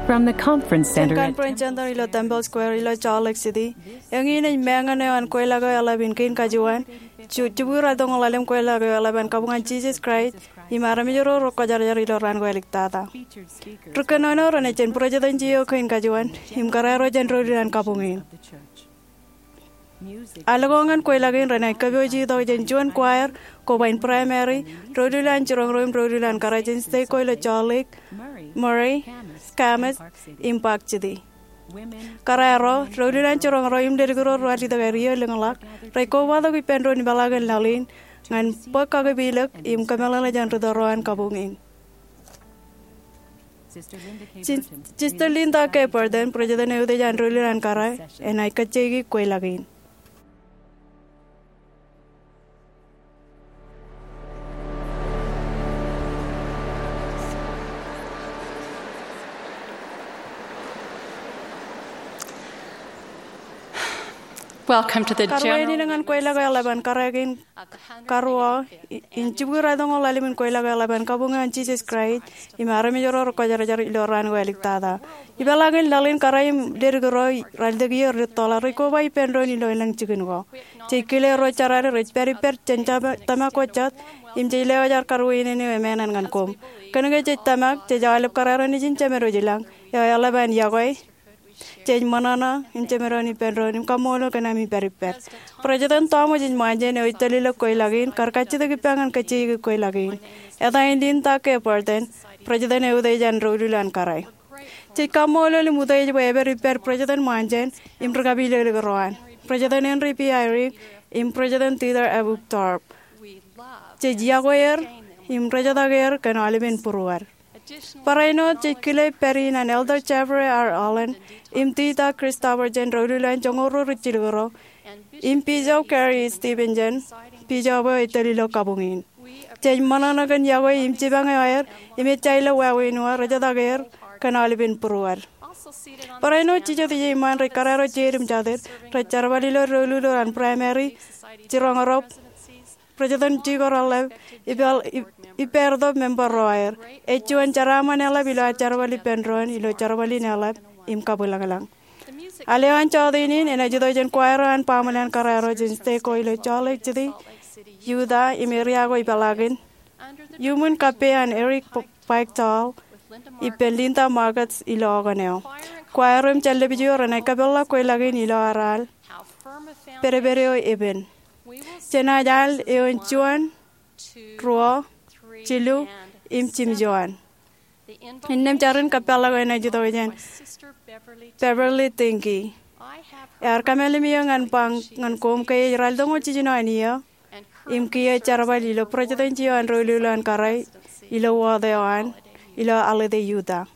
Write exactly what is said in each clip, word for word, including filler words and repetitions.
From the conference center at Conference Center ilo Temple Square ilo Salt Lake City, eñin ej meñe eo an kweilọk eo eḷap in kein kajuon, ju-, jibukwi raeltoñoul ḷalem kweilọk eo eḷap an kabuñ an Jisōs Kraist im armej ro rekwōjarjar ilo raan ko āliktata. Ri kōnono renaaj jān president eo kein kajuon im kōrā ro jān doulul an kabuñ in. Alko ñan kweilọk in renaaj kōpooje itok jān juon choir, koba in primary, doulul an jiroñ ro im doulul an kōrā jān state ko ilo Salt Lake, Murray, Camas, im Park City. Kōrā ro, doulul an jiroñ ro im ledik ro rej ralitōk aer iiō lōñḷọk, rej kobatok ippān doon ipeḷaakin laḷ in ñan bōk kakipilōk im kōmeḷeḷe jān ri tōl ro an kabuñ in. Sister Linda K. Burton, president eutiej an doulul an kōrā, enaaj kajjioñ kweilọk in. Welcome to the general. Karuwainene ñan kweilọk eo eḷap an kōrā kein karuo, in jibukwi raeltoñoul ḷalem in kweilọk eo eḷap an kabuñ an Jisōs Kraist im armej ro rekwōjarjar ilo raan ko āliktata. Ipeḷaakin laḷ in kōrā im ledik ro ralitōk iiō rej tōḷa rej koba ippān doon ilo elōñ jikin ko. Jej kile ro jeraḷ rej pād ippād jān tōmak ko jet im jej lewōj ad karuwainene eo emān ñan koṃ. Kōnke jej tōmak, jej aolep kōrā ro nejin jemed wōj ilañ eo eḷap an yokwe. Jej ṃōṇōṇō im jemedoon ippān doon im kaṃṃoolol kōn ami pād ippād. President Tōmaj H. Monson eo ej tōl ilo kweilọk in kar kajjitōk ippa ñan kajjioñ kweilọk in. Eta in Linda K. Burton, president eutiej an doulul an kōrā. Jej kaṃṃoolol im utiej bwe epād ippād President Monson im ri kapilōklōk ro an, President Henry B. Eyring im President Dieter F. Uchtdorf. Jej yokwe er im rejetak er kōn aolepen būruod. Barāinwōt jej kile pād in an Elder Jeffrey R. Holland im Dieter Christofferson, doulul an joñoul ruo ri jilkinḷọk, im Bishop Gary Stevenson, bishop eo ej tōl ilo kabuñ in. Jej ṃōṇōṇō kōn yokwe im jipañ eo aer im ejja ilo wāween eo, rejetak er kōn aolepen būruod. Barāinwōt jijet ijin iṃaan rej kōrā ro jeid im jatid rej jerbal ilo doulul ro an primary, jiroñ ro, president, jikoraḷḷap, ippāer, ip-, ippāertok member ro aer. Ej juon jeraaṃṃan eḷap ilo ad jerbal ippān doon ilo jerbal in eḷap im kabwilōñlōñ. Al eo an jọteen in enaaj itok jān choir eo an baaṃle an kōrā ro jān state ko ilo Salt Lake City, Utah, im area ko ipeḷaakin, iuṃwin kappei an Eric P-, Beichtal ippān Linda Marcus ilo okōn eo. Choir im jān lepij eo renaaj kapeḷḷọk kweilọk in ilo aō raar pedped eo epen. Jenaaj al eoon juon, ruo, jilu, im jimjuon. Innām jar in kapeḷḷọk eo enaaj itok jān Beverly Dinky. Ear kōmālim eō ñan ba ñan koṃ ke ej raeltoñoul jiljino an iiō im kiiō jerbal ilo president eo an doulul an kōrā ilo wōt eo an ilo Alde, Utah.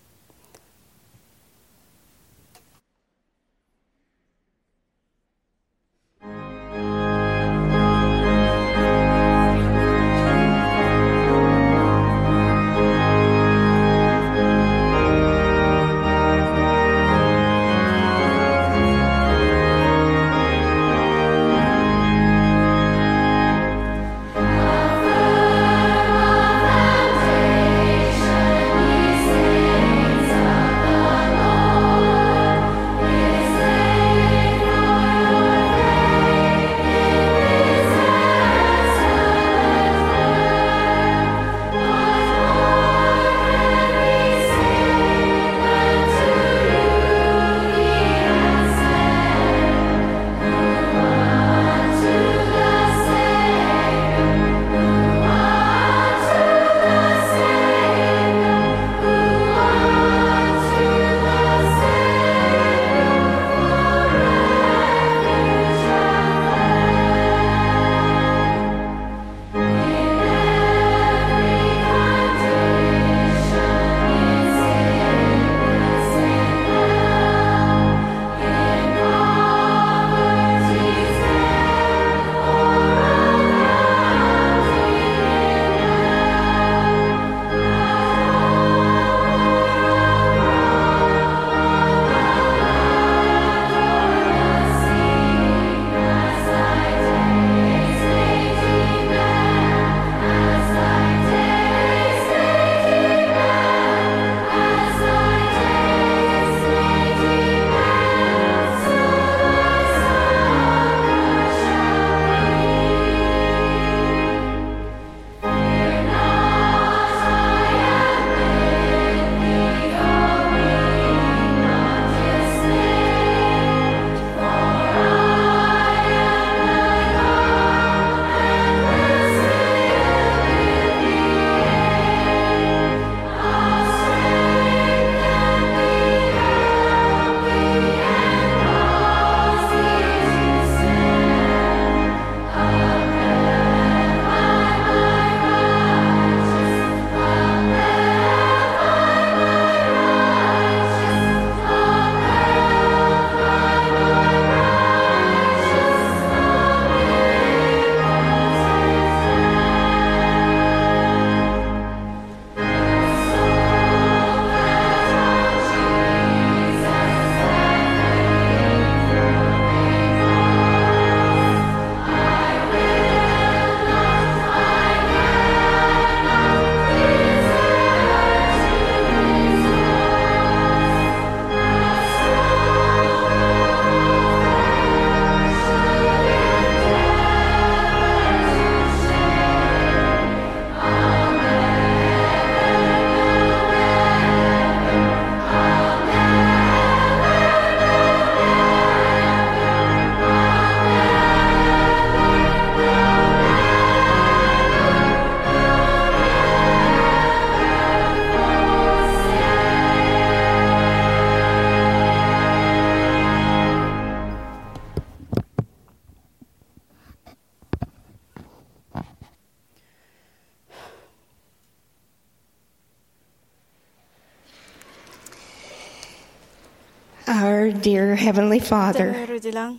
Our dear Heavenly Father, Jemem eo rej ilañ,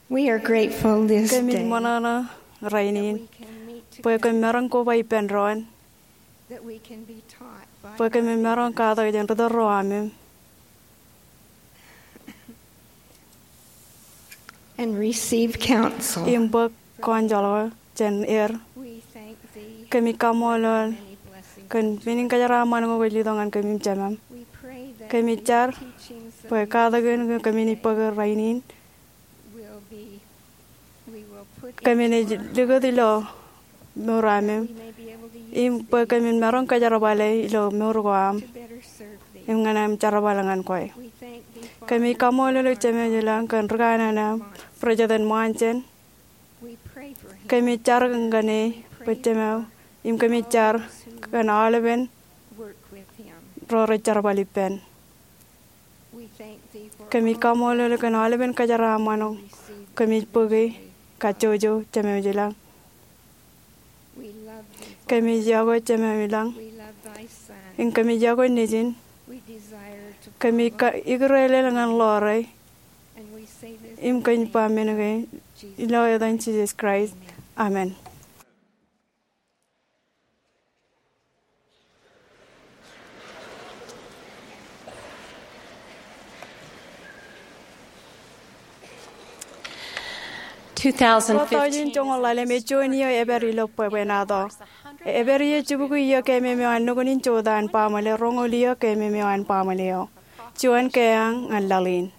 we are grateful this day. Kōmij ṃōṇōṇō rainin bwe kōm maroñ koba ippān doon, bwe kōmin maroñ katak jān ri tōl ro amem and receive counsel. Im bōk kọnjoḷ ko jān er. Kōmij kaṃṃoolol kōn menin kōjeraaṃṃan ko kwōj letok ñan kōm im jemem. Kōmij jar bwe katak in kōmin bōk rainin kōmin ej likūt ilo mour amem, im bwe kōmin maroñ kōjerbale ilo mour ko aṃ im ñan aṃ jerbal ñan kwe. Kōmij kaṃṃoolol eok Jemem ilañ kōn ri kanaan eo, President Monson. Kōmij jar kōn e bwe Jemem, im kōmij jar kōn aolepen ro rej jerbal ippān. Kōmij kaṃṃoolol kōn aolepen kōjeraaṃṃan ko kōmij bōke kajjojo Jemem ilañ. Kōmij yokwe Jemem ilañ. Im kōmij yokwe Nejin. Kōmij ikirelel ñan ḷoore. Im kōmij ba men kein ilo etan Jisōs Kraist. Amen. Two thousand fifteen. Ḷotak in joñoul ḷalem ej juon iiō epād ilo bwebwenato. Epād iiō jibukwi iiō kememeo an nukun in jota an baaṃle, roñoul iiō kememeo an baaṃle eo. Juon keañ ñan laḷ in.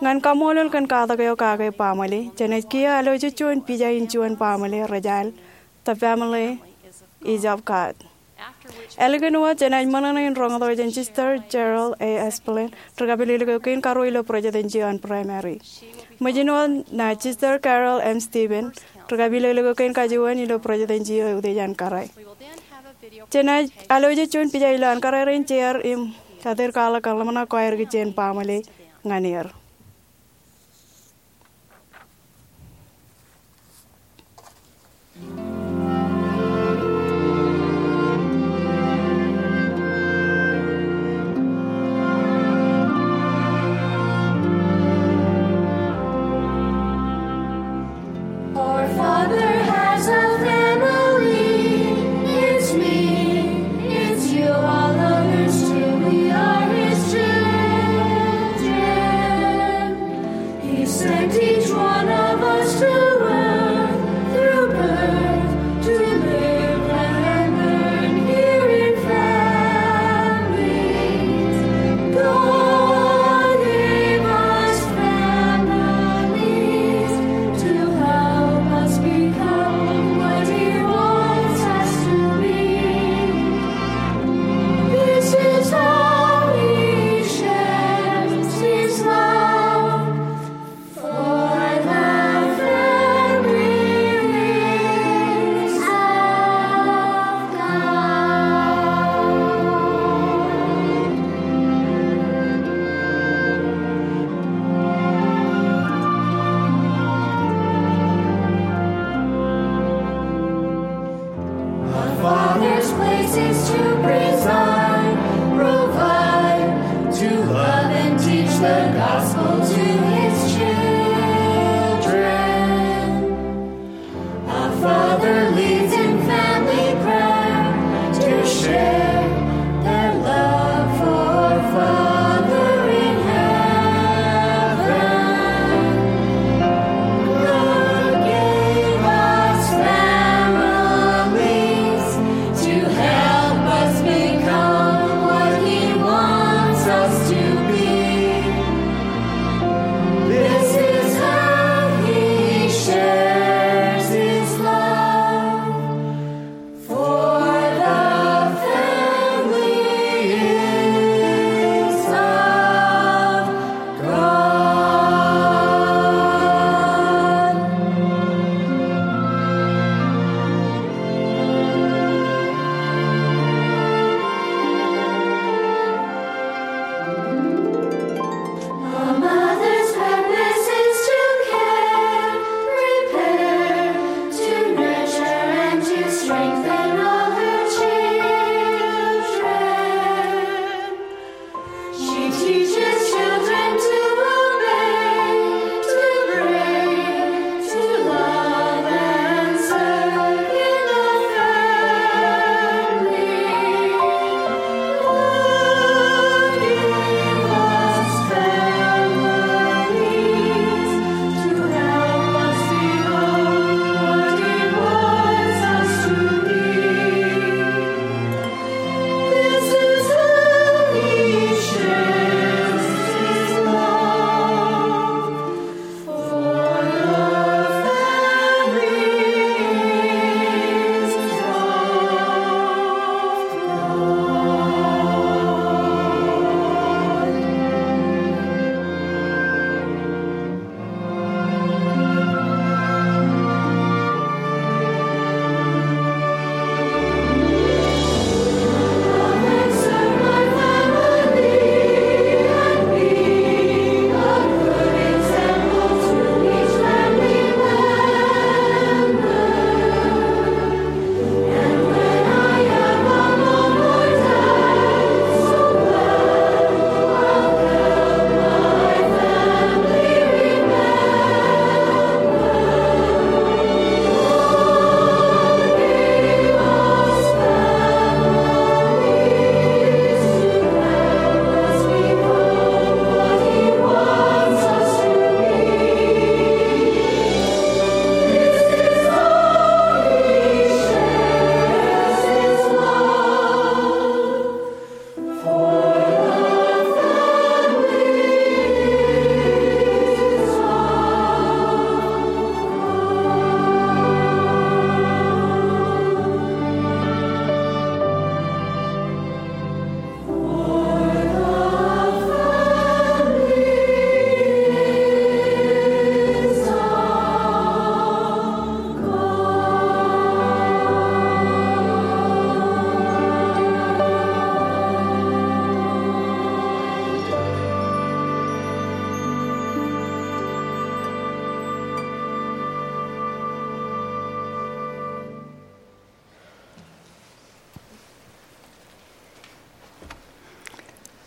Ñan kaṃṃoolol kōn katak eo kake baaṃle, jenaaj kiiō alooj juon pija in juon baaṃle rej al, The Family Is of God. Ālikin wōt jenaaj ṃōṇōṇō in roñoul jān Sister Cheryl A. Esplen, ri kapilōklōk eo kein karuo ilo Protestant Jew an Primary. Ṃōjin wōt ṇa Sister Carol M. Stevens, ri kapilōklōk eo kein kajuon ilo Protestant Jew eo utiej an kōrā. Jenaaj alooj juon pija ilo an kōrā rein jeor im kate kwaḷọk kōn ḷōmṇak ko aer kijeṇ baaṃle ñan er. Our Father has a family. It's me, it's you, all others too. We are his children. He sent each one of us to earth through birth to live and learn here in families. God gave us families to help us become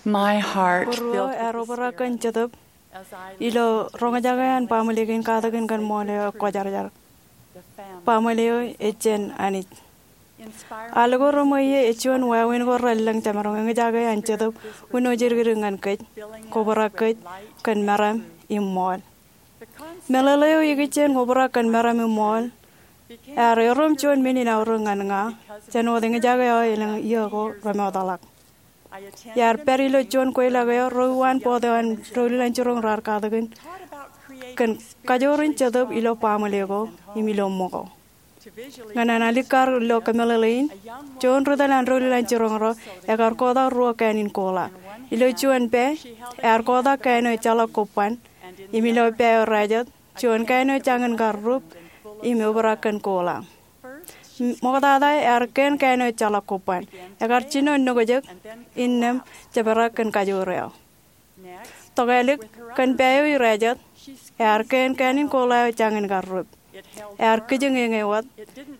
My heart Bōd ruo ear obrak kōn jetōb ilo roñjake an baaṃle kein katakin kōn ṃool eo ekwōjarjar. Baaṃle eo ej jān Anij. Al ko reṃōj ie ej juon wāween ko relōñ jemaroñ eñjake an Jetōb uno ej dikdik ñan kōj, kobrak kōj kōn meram im ṃool. Meḷeḷe eo ikijjien obrak kōn meram im ṃool ear erom juon men in aorōk ñan ña jān wōt eñjake aō elōñ iiō ko remootḷọk. Iar pād ilo juon kweilọk eo ro uwaan board eo an doulul an jiroñ raar katakin kōn kajoor in Jetōb ilo baaṃle ko im ilo ṃōko. Ñan an alikkar ilo kōmeḷeḷe in, juon ri tōl an doulul an jiroñ ro ekar kotak ruo kān in kola. Ilo juon pā ear kotak kān eo ejjeḷọk kobban, im ilo pā eo rājet juon kān eo jañin kar rup im obrak kōn kola. Ṃoktata ear keen kān eo ejjeḷọk kobban. Ekar jino nokjek innām jebrak kōn kajoor eo. Tokālik, kōn pā eo irājet ear keen kān in kola eo jañin kar rup. Ear kijeñeñe wōt.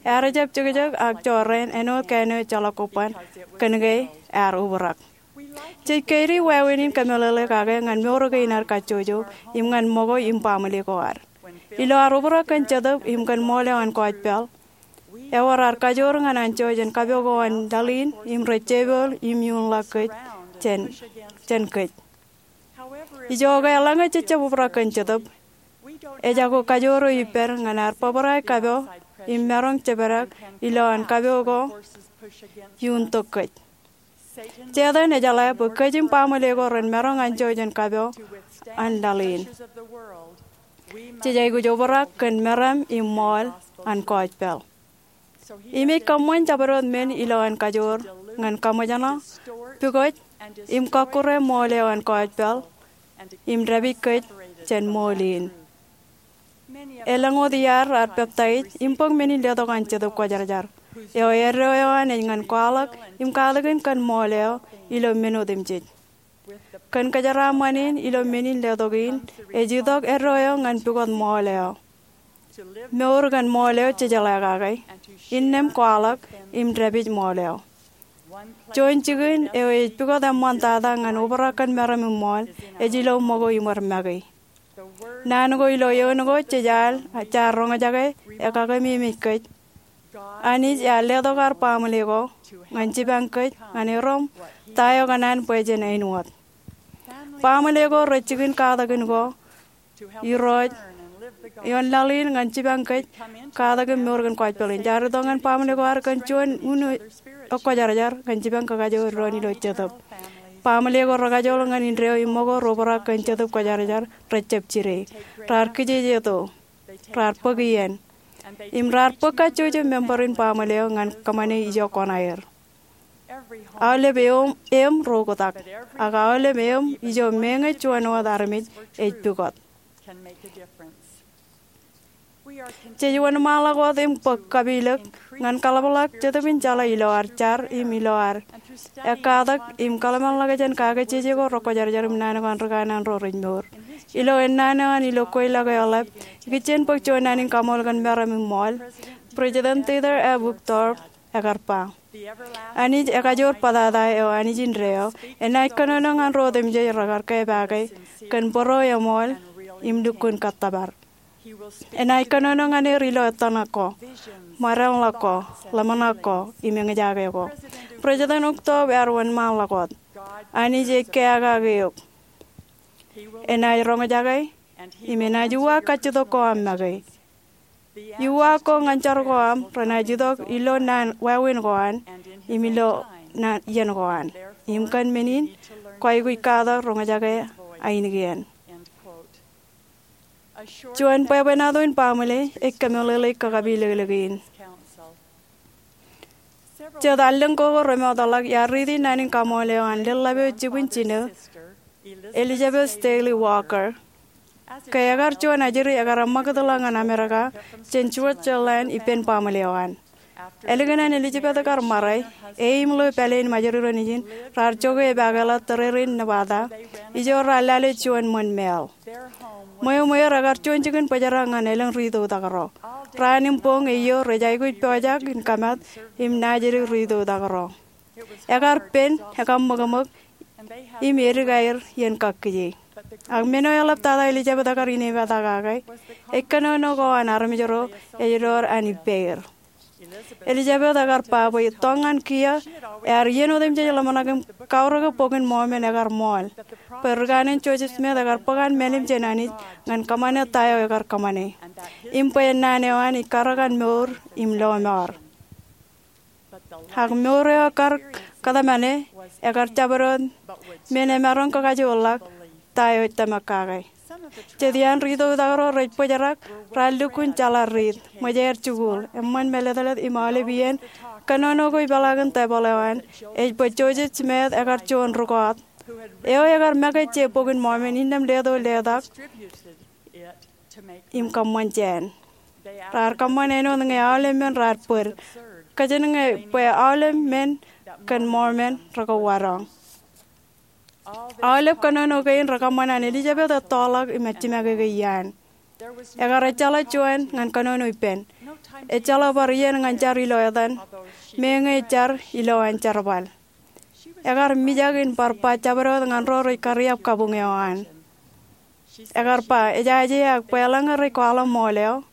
Ear jab jekjek ak jorrāān āinwōt kān eo ejjeḷọk kobban kōnke ear obrak. Jej kaidi wāween in kōmeḷeḷe kake ñan mour kein ad kajjojo im ñan ṃōko im baaṃle ko ad. Ilo ad obrak kōn Jetōb im kōn ṃool eo an gospel, ewōr ad kajoor ñan anjọ jān kapo ko an laḷ in im rej jepool im iuṇ ḷọk kōj jān kōj. Ijoke eḷaññe jej jab obrak kōn Jetōb, ejako kajoor eo ippād ñan ad bōbrae kapo im maroñ jepdek ilowaan kapo ko iuṇ tok kōj. Setan ejeḷā bwe kōj im baaṃle ko ren maroñ anjọ jān kapo an laḷ in. Jej aikuj obrak kōn meram im ṃool an gospel. Im ej kōṃṃan jabdewōt men ilowaan kajoor ñan kaṃōjṇọ, pukot, im kọkkure ṃool eo an gospel im dāpij kōj jān ṃool in. Elōñ wōt iar raar peptaij im bōk men in letok an Jetōb Kwōjarjar eo eddo eo an ej ñan kwaḷọk im katakin kōn ṃool eo ilo men otemjej. Kōn kōjeraaṃṃan in ilo men in letok in ej itok eddo eo ñan pukot ṃool eo. Mour kōn ṃool eo jejeḷā kake, innām kwaḷọk im dāpij ṃool eo. Juon jikin eo ej pukot eṃṃantata ñan obrak kōn meram im ṃool ej ilo ṃōko im wōr make. Naan ko ilo eoon ko jej al jaar roñjake ekakememej kōj. Anij ear letok ad baaṃle ko ñan jipañ kōj ñan erom ta eo kōṇaan bwe jen āinwōt. Baaṃle ko rej jikin katakin ko, Irooj ioon laḷ in ñan jipañ kōj katakin mour kōn gospel in. Jaar itok ñan baaṃle ko ad kōn juon uno ekwōjarjar ñan jipañ kakajoor doon ilo Jetōb. Baaṃle ko rekajoor ñan indeeo im ṃōko rej obrak kōn Jetōb Kwōjarjar rej jab jide. Raar kijejeto. Raar bōk iien. Im raar bōk kajjojo member in baaṃle eo ñan kōṃṃane ijo koṇaer. Aolep eō im ro oktak, ak aolep eō im ijo meñe juon wōt armej ej pukot. Jej wōnṃaanḷọk wōt im bōk kapilōk ñan kaḷapḷọk Jetōb in jeḷā ilo ad jar im ilo ad ekkatak im kōḷmānḷọkjeṇ in kake jeje ko rekwōjarjar im naan ko an ri kanaan ro rej mour. Ilo ennaan eo an ilo kweilọk eo ḷap, ikijjien bōk juon naan in kaṃool kōn meram im ṃool, President Dieter F. Uchtdorf ekar ba, Anij ekajoor bōtata eo Anij indeeo enaaj kōnono ñan ro otemjej rekar kepaake kōn bōro eṃool im lukkuun kōttōpar. Enaaj kōnono ñan er ilo ettōṇak ko, ṃōdeḷọk ko, ḷōmṇak ko, im eñjake ko. President Uchtdorf ear wōnṃaanḷọk wōt, Anij ej keakake eok. Enaaj roñjake im enaaj uwaak kajjitōk ko aṃ make. Uwaak ko ñan jar ko aṃ renaaj itok ilo naan wāween ko an im ilo naan iien ko an. Im kōn men in kwaikuj katak roñjake ainikien. Juon bwebwenato in baaṃle ej kōmeḷeḷeik kakapilōklōk in. Jet allōñ ko ko remootḷọk iar riiti naan in kaṃool eo an lōḷḷap eo jibwin jino, Elizabeth Stanley Walker, ke ekar juon ajri ekar eṃṃakūtḷọk ñan Amerika jān Switzerland ippān baaṃle eo an. Ālikin an Elizabeth kar ṃare, e im ḷeo pāleen majorito nejin raar jokwe epaakḷọk tōrerein Nevada, ijo raar lale juon ṃōn māāl. Ṃweo ṃweer ekar juon jikin bōjrak ñan elōñ ri itoktak ro. Raan im boñ eiiō rej aikuj pojak in kamat im naajdik ri itoktak ro. Ekar pen, ekaṃōkṃōk, im edik aer ien kakkije. Ak men eo eḷaptata Elijabeth ekar inepata kake ej kōnono ko an armej ro ej door an ippāer. Elijabeth ekar ba bwe itok ñan kiiō ear iien otemjej ḷōmṇak im kaurōke Bok in Mormon ekar ṃool, bwe ri kaanin Joseph Smith ekar bōk an mālim jān Anij ñan kōṃṃane ta eo ekar kōṃṃane, im bwe naan eo an ij karōk an mour im lọmọọr. Ak mour eo ekar kōtmāne ekar jabdewōt men emaroñ kakajoorḷọk ta eo ej tōmak kake. Jet iaan ri-itoktak ro rej bōjrak raar lukkuun jeḷā riit, ṃōj aer jikuuḷ, eṃṃan mālōtlōt im aolep iien kōnono ko ipeḷaakin tebōḷ eo an ej bwe Joseph Smith ekar juon rūkọọt eo ekar make je Bok in Mormon innām leto letak im kōṃṃan jān. Raar kōṃṃan āinwōt ñe aolep men raar bōd, kōjenñe bwe aolep men kōn Mormon rekauwadoñ. Aolep kōnono kein rekōṃṃan an Elijabeth ettoḷọk im ejimākeke iaan. Ekar ejjeḷọk juon ñan kōnono ippān. Ejjeḷọk bar iien ñan jar ilo etan, meñe jar ilo an jerbal. Ekar mijak in bar ba jabdewōt ñan ro rej kariab kabuñ eo an. Ekar ba, ejaje ak bwe eḷaññe rej kwaḷọk ṃool eo,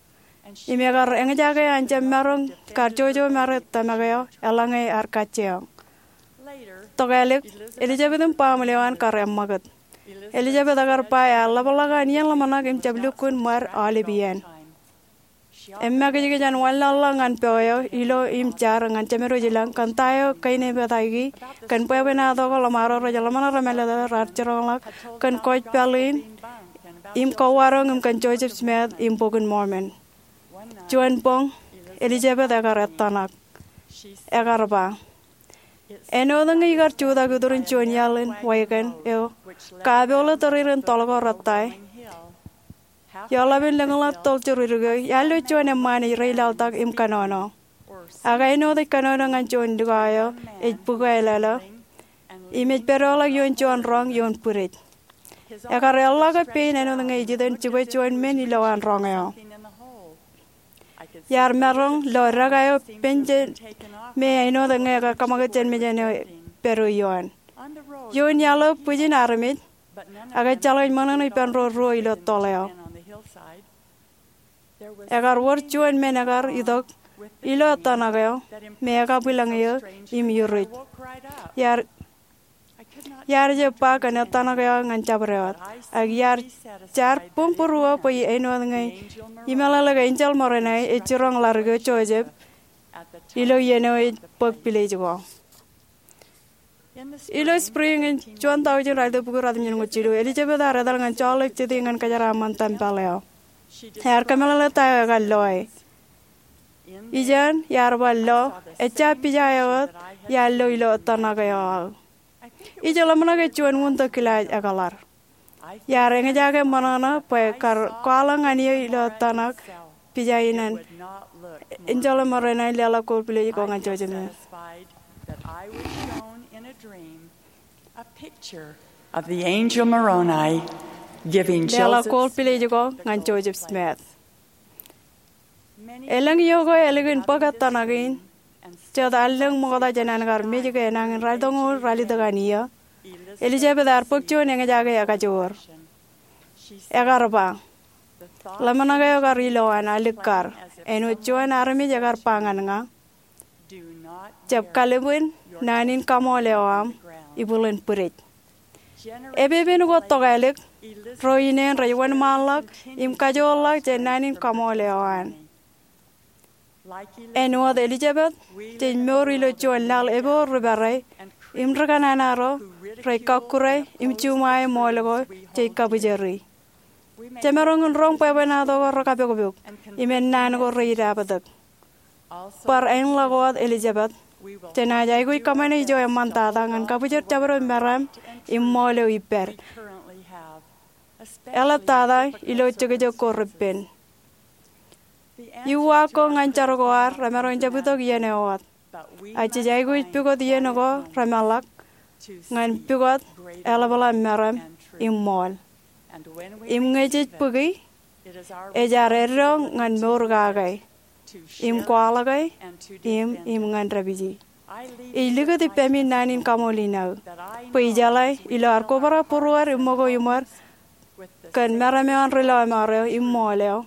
im ekar eñjake an jab maroñ kar jojo mare tōmak eo eḷaññe ear kajjioñ. Tokālik, Elijabeth im baaṃle eo an kar eṃṃakūt. Elijabeth ekar ba ear ḷapḷọk an iien ḷōmṇak im jab lukkuun ṃad aolep iien. Emakijkij an wanlaḷḷọk ñan po eo ilo im jar ñan Jemedwōj ilañ kōn ta eo kainepataiki kōn bwebwenato ko ḷōṃaro rej ḷōmṇak remālōtlōt raar jiroñḷọk kōn kōjpaḷ in im kauwadoñ im kōn Joseph Smith im Bok in Mormon. Juon boñ, Elijabeth ekar ettōṇak. Ekar ba, āinwōt ñe ikar jutak iturin juon iaḷ in wagon eo kapoḷe tōrerein toḷ ko rettae, ioḷapān lōñḷọk toḷ juruduk eo, iar lo juon eṃṃaan ej reilaḷtak im kōnono. Ak āinwōt ej kōnono ñan juon likao eo ej bukwāālōlō im ej pād ḷọk ioon juon roñ ioon bwidej. Ekar eḷḷọke pein āinwōt ñe ej itōn jibwe juon men ilo an roñ eo. Iar maroñ lo deka eo pen jān me āinwōt ñe ekar kōṃakūt jān mejān eo pād ioon. Ioon iaḷ eo bwijin armej, ak ejjeḷọk ej ṃōṇōṇō ippān ro ruo ilo toḷ eo. Ekar wōr juon men ekar itok ilo ettōṇak eo me ekabwilōñ eō im iruj. Iar, iar jab ba kōn ettōṇak eo ñan jabdewōt, ak iar jar buñbūruō bwe āinwōt ñe imeḷeḷe ke enjeḷ Moroni ej jiroñ ḷadik eo Joseph ilo iien eo ej bōk pilej ko. Ilo spring in juon taujin ralitōk bukwi ratimjuonñoul jilu, Elijabeth ear etal ñan Salt Lake City ñan kōjeraaṃṃan tempel eo. Ear kōmeḷeḷe ta eo ekar loe. Ijeṇ, iar bar lo, ejja pija eo wōt iar lo ilo ettōṇak eo aō. Ij ḷōmṇak ke juon wūntōk kilaaj ekōḷar. Iar eñjake ṃōṇōṇō bwe kar kwaḷọk ñan eō ilo ettōṇak pija in an enjeḷ Moroni leḷọk kold pilej ko ñan Joseph Smith. Leḷọk kold pilej ko ñan Joseph Smith. Elōñ iiō ko ālikin bōk ettōṇak in, jet allōñ ṃokta jān an kar mej ke enañin ralitōñoul ralitōk an iiō, Elijabeth ear bōk juon eñjake ekajoor. Ekar ba, ḷōmṇak eo kar ilo an alikkar, āinwōt juon armej ekar ba ñan ña, jab kalbwin naan in kaṃool eo aṃ ibwilen bwidej. Epepen ko tokālik, ro ineen rej wōnṃaanḷọk im kajoorḷọk jān naan in kaṃool eo an. Āinwōt Elijabeth, jej mour ilo juon laḷ eboor ri pere im ri kanana ro rej kakkure im juṃae ṃool ko jej kabwijeri. Jemaroñ in roñ bwebwenato ko rekapokpok im ennaan ko reidabōtōk. Bar āinḷọk wōt Elijabeth, jenaaj aikuj kōṃṃane ijo eṃṃantata ñan kabwijer jabdewōt meram im ṃool eo ippād, eḷaptata ilo jekjek ko repen. Iuwaak ko ñan jar ko ad remaroñ jab itok iien eo wōt. Ak jej aikuj pukot iien ko remeḷọk ñan pukot eḷapḷọk meram im ṃool. Im ñe jej bōki, ej ad eddo ñan mour kake im kwaḷọke im, im ñan dāpiji. Ij likūt ippemi naan in kaṃool in aō bwe ijeḷā ilo ad kobrak būruod im ṃōko iṃōd kōn meram eo an ri lọmọọr eo im ṃool eo,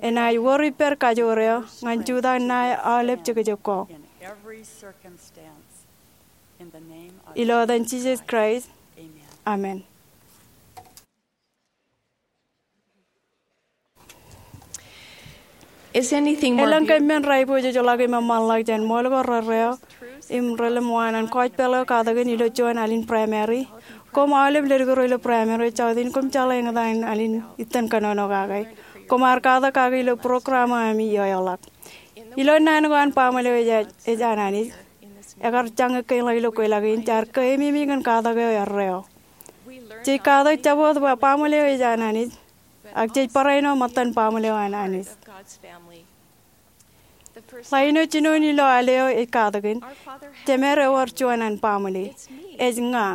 enaaj wōr ippād kajoor eo ñan jutak ṇae aolep jekjek ko. Ilo etan Jisōs Kraist, amen. Elōñ kōm men rej pojejḷọk im eṃṃanḷọk jān ṃool ko rerreo im relōñ waan an kọjpeḷ eo katak in ilo juon alen primary? Koṃ aolep ledik ro ilo primary, jọteen koṃ jeḷā eñtaan alen itōn kōnono kake. Koṃ ar katak kake ilo program eo ami ioeoḷọk. Ilo naan ko an baaṃle eo ej an Anij, ekar jañe kein ḷọk ilo kweilọk in, jaar keememej ñan katak eo erreo. Jej katak jabdewōt baaṃle eo ej an Anij, ak jej barāinwōt ṃōttan baaṃle eo an Anij. Ḷain eo jinoin ilo al eo ej katakin, Jemed ewōr juon an baaṃle. Ej ña.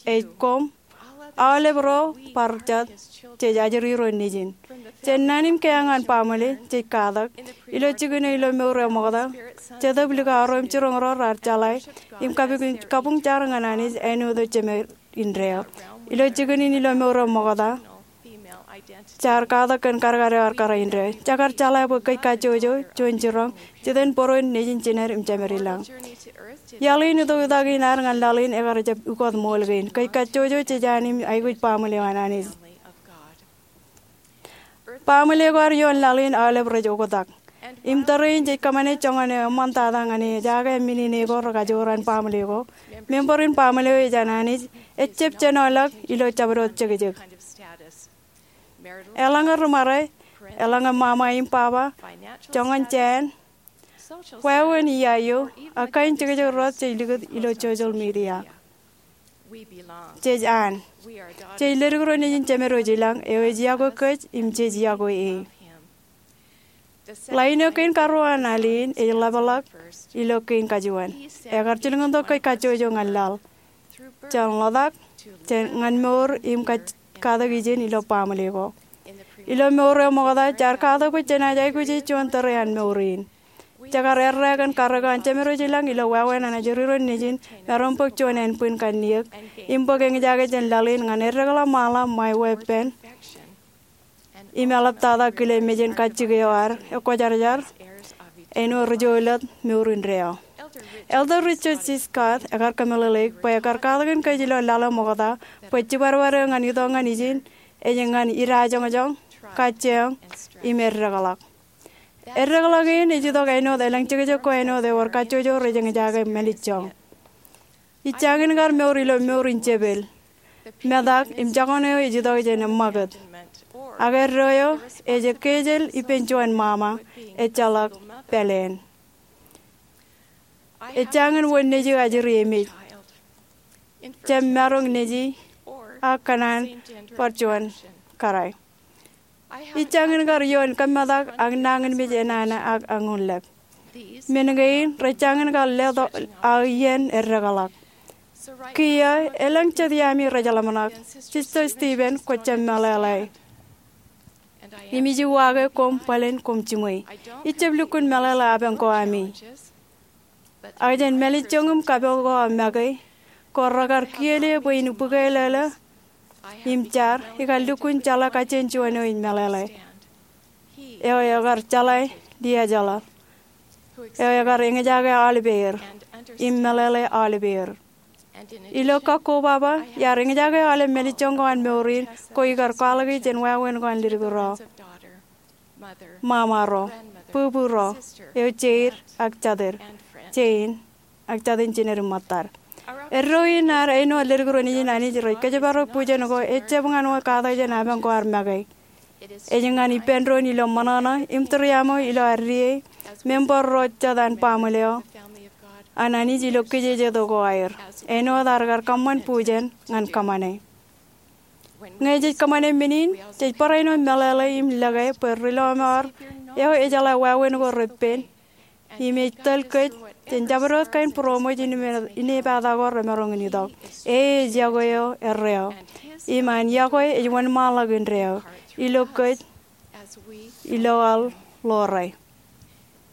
Ej koṃ. Aolep ro bar jet jej ajri ro nejin. Jān naan in keeañ an baaṃle, jej katak, ilo jikin eo ilo mour eo ṃokta, Jetōb likao ro im jiroñ ro raar jeḷā im kabuñ, kabuñ jar ñan Anij āinwōt eo Jemed indeeo. Ilo jikin in ilo mour eo ṃokta, jaar katak kōn kadkad eo ar kōrā indeeo. Jekar jeḷā bwe kōj kajjojo, juon jiroñ, jitōnbōro nejin jined im jemed ilañ. Iaḷ in itok itak in ad ñan laḷ in ekar jab ukot ṃool kein. Kōj kajjojo, jej an im aikuj baaṃle eo an Anij. Baaṃle ko ad ioon laḷ in aolep rej oktak. Im tōre in jej kōṃṃane joñan eo eṃṃantata ñan ejaake men in eko rekajoor an baaṃle ko. Member in baaṃle eo ej an Anij ejjab jenoḷọk ilo jabdewōt jekjek. Eḷaññe ri ṃare, eḷaññe ṃaṃa im baba, joñan jāān, wāween iiaio, ak kain jekjek rot jej likūt ilo social media. Jej an. Jej ledik ro nejin Jemed wōj ilañ, eo ej iọkwe kōj im jej iọkwe e. Ḷain eo kein karuo an al in ej ḷapḷọk ilo kein kajuon. Ekar jilkintok kōj kajjojo ñan laḷ, jān ḷotak, jān ñan mour im kaj-, katak ijin ilo baaṃle ko. Ilo mour eo ṃokta, jaar katak bwe jenaaj aikuji juon tōre an mour in. Jekar errā kōn karreo an Jemed wōj ilañ ilo wāween an ajri ro nejin, maroñ bōk juon ānbwin kanniōk im bōk eñjake jān laḷ in ñan eddekḷọk ṃaanḷọk ṃae weeppān im eḷaptata kile mejān kajjik eo ad ekwōjarjar āinwōt ri-jolōt mour indeeo. Elder Richard G. Scott ekar kōmeḷeḷeik bwe ekar katakin kōj ilo laḷ eo ṃokta bwe jibadbad eo ñan itok ñan ijin ej ñan idajoñjoñ, kajjioñ, im eddekḷọk. Eddekḷọk in ej itok āinwōt elōñ jekjek ko āinwōt ewōr kajjojo rej eñjake mālejjoñ. Ij jañin kar mour ilo mour in jepel. Metak im jokane eo ej itok jān eṃṃakūt. Ak eddo eo ej kejel ippān juon ṃaṃa, ejjeḷọk pāleen. Ej jañin wōn nejiō ajri emej. Jab maroñ nejiō ak kōṇaan bar juon kōrā. Ij jañin kar ioon kōmmetak ak nañinmej enana ak añunlep. Men kein rej jañin kar letok aō iien eddekḷọk. Kiiō, elōñ jet iaami rej ḷōmṇak. Sister Stevens, kwō jab meḷeḷe. Im ij uwaake koṃ bōlen koṃ jiṃwe. Ij jab lukkuun meḷeḷe apañ ko ami. Ak jān mālejjoñ im kapo ko aō make, ko rekar kiiō bwe in bōkelōlō im jar, ikar lukkuun jeḷā kajjien juon eo ij meḷeḷe. Eo ekar jeḷā dijeḷā. Eo ekar eñjake aolepāer im meḷeḷe aolepāer. Ilo kakobaba, iar eñjake aolep mālejjoñ ko an mour in, ko ikar kwaḷọki jān wāween ko an ledik ro. Ṃaṃa ro, bubu ro, eo jeid ak jatid, jein, ak jatin jined im ṃōttad. Eddo in ad āinwōt ledik ro nejin Anij rej kōjparok bujen ko ejjab ñan wōt katak jān apañ ko ad make. Ej ñan ippān doon ilo ṃōṇōṇō im tūriaṃo ilo ad die, member ro jet an baaṃle eo an Anij ilo kijeje tok ko aer, āinwōt ad kar kōṃṃan bujen ñan kōṃṃane. Ñe jej kōṃṃane men in, jej barāinwōt meḷeḷe im lōke bwe ri lọmọọr eo ejeḷā wāween ko repen im ej tōl kōj jān jabdewōt kain būroṃōj in, inepata ko remaroñ in itok. E ej iọkwe eo erreo im an iọkwe ej wōnṃaanḷọk indeeo ilo kōj ilo aō ḷoore.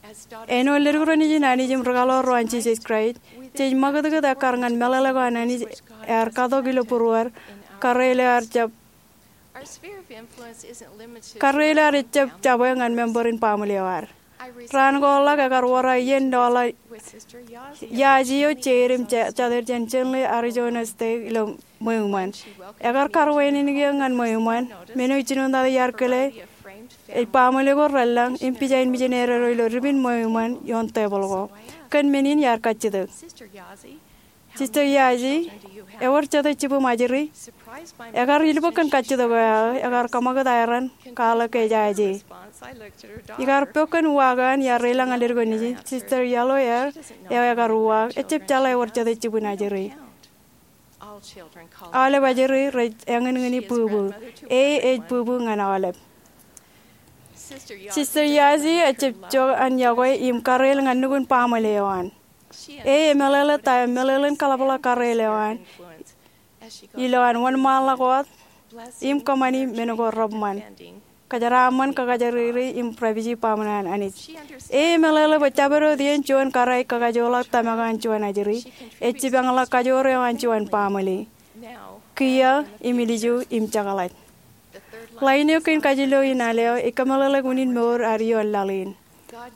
Āinwōt ledik ro nejin Anij im ri-kaḷoor ro an Jisōs Kraist, jej ṃakūtkūt ekkar ñan meḷeḷe ko an Anij ear katok ilo būruōd, karreoḷọk ear jab, karreoḷọk ear ejjab jabwe ñan member in baaṃle eo ad. Raan ko ḷọk ekar wōr aō iien in ḷọk Yaji eo jeid im jatid jān Chandler, Arizona State ilo ṃweo iṃaan. Ekar kar wāween eō ñan ṃweo iṃaan, men eo ij jinoin tata iar kile, ej baaṃle ko relōñ im pija in mijinede ro ilo dipin ṃweo iṃaan ioon tebōḷ ko. Kōn men in iar kajjitōk. Sister Yaji, ewōr jete jibwim ajri? Ekar ilbōk kōn kajjitōk eo aō, ekar kōṃakūt aer an, kwaḷọk ke ej aje. Ikar pok kōn uwaak eo an iar reilañ ñan ledik ro nejin, Sister Yellowhair eo ekar uwaak, ejjab jeḷā ewōr jete jibwin ajri. Aolep ajri rej eñinñini būbū. E ej būbū ñan aolep. Sister Yaji ejjab jok an yokwe im karreoḷ ñan nukun baaṃle eo an. E emeḷeḷe ta eo meḷeḷein kaḷapḷọk karreoḷ eo an ilo an wōnṃaanḷọk wōt im kōṃṃani men ko reṃṃan, kōjeraaṃṃan, kakajjirjiri im rapiji baaṃle eo an Anij. E emeḷeḷe bwe jabdewōt iien juon kōrā ej kakajoorḷọk tōmak eo an juon ajri, ej jipañḷọk kajoor eo an juon baaṃle. Kiiō im ilju im jekḷaj. Ḷain eo kein kajilio in al eo ej kōmeḷeḷeik unin mour ad ioon laḷ in.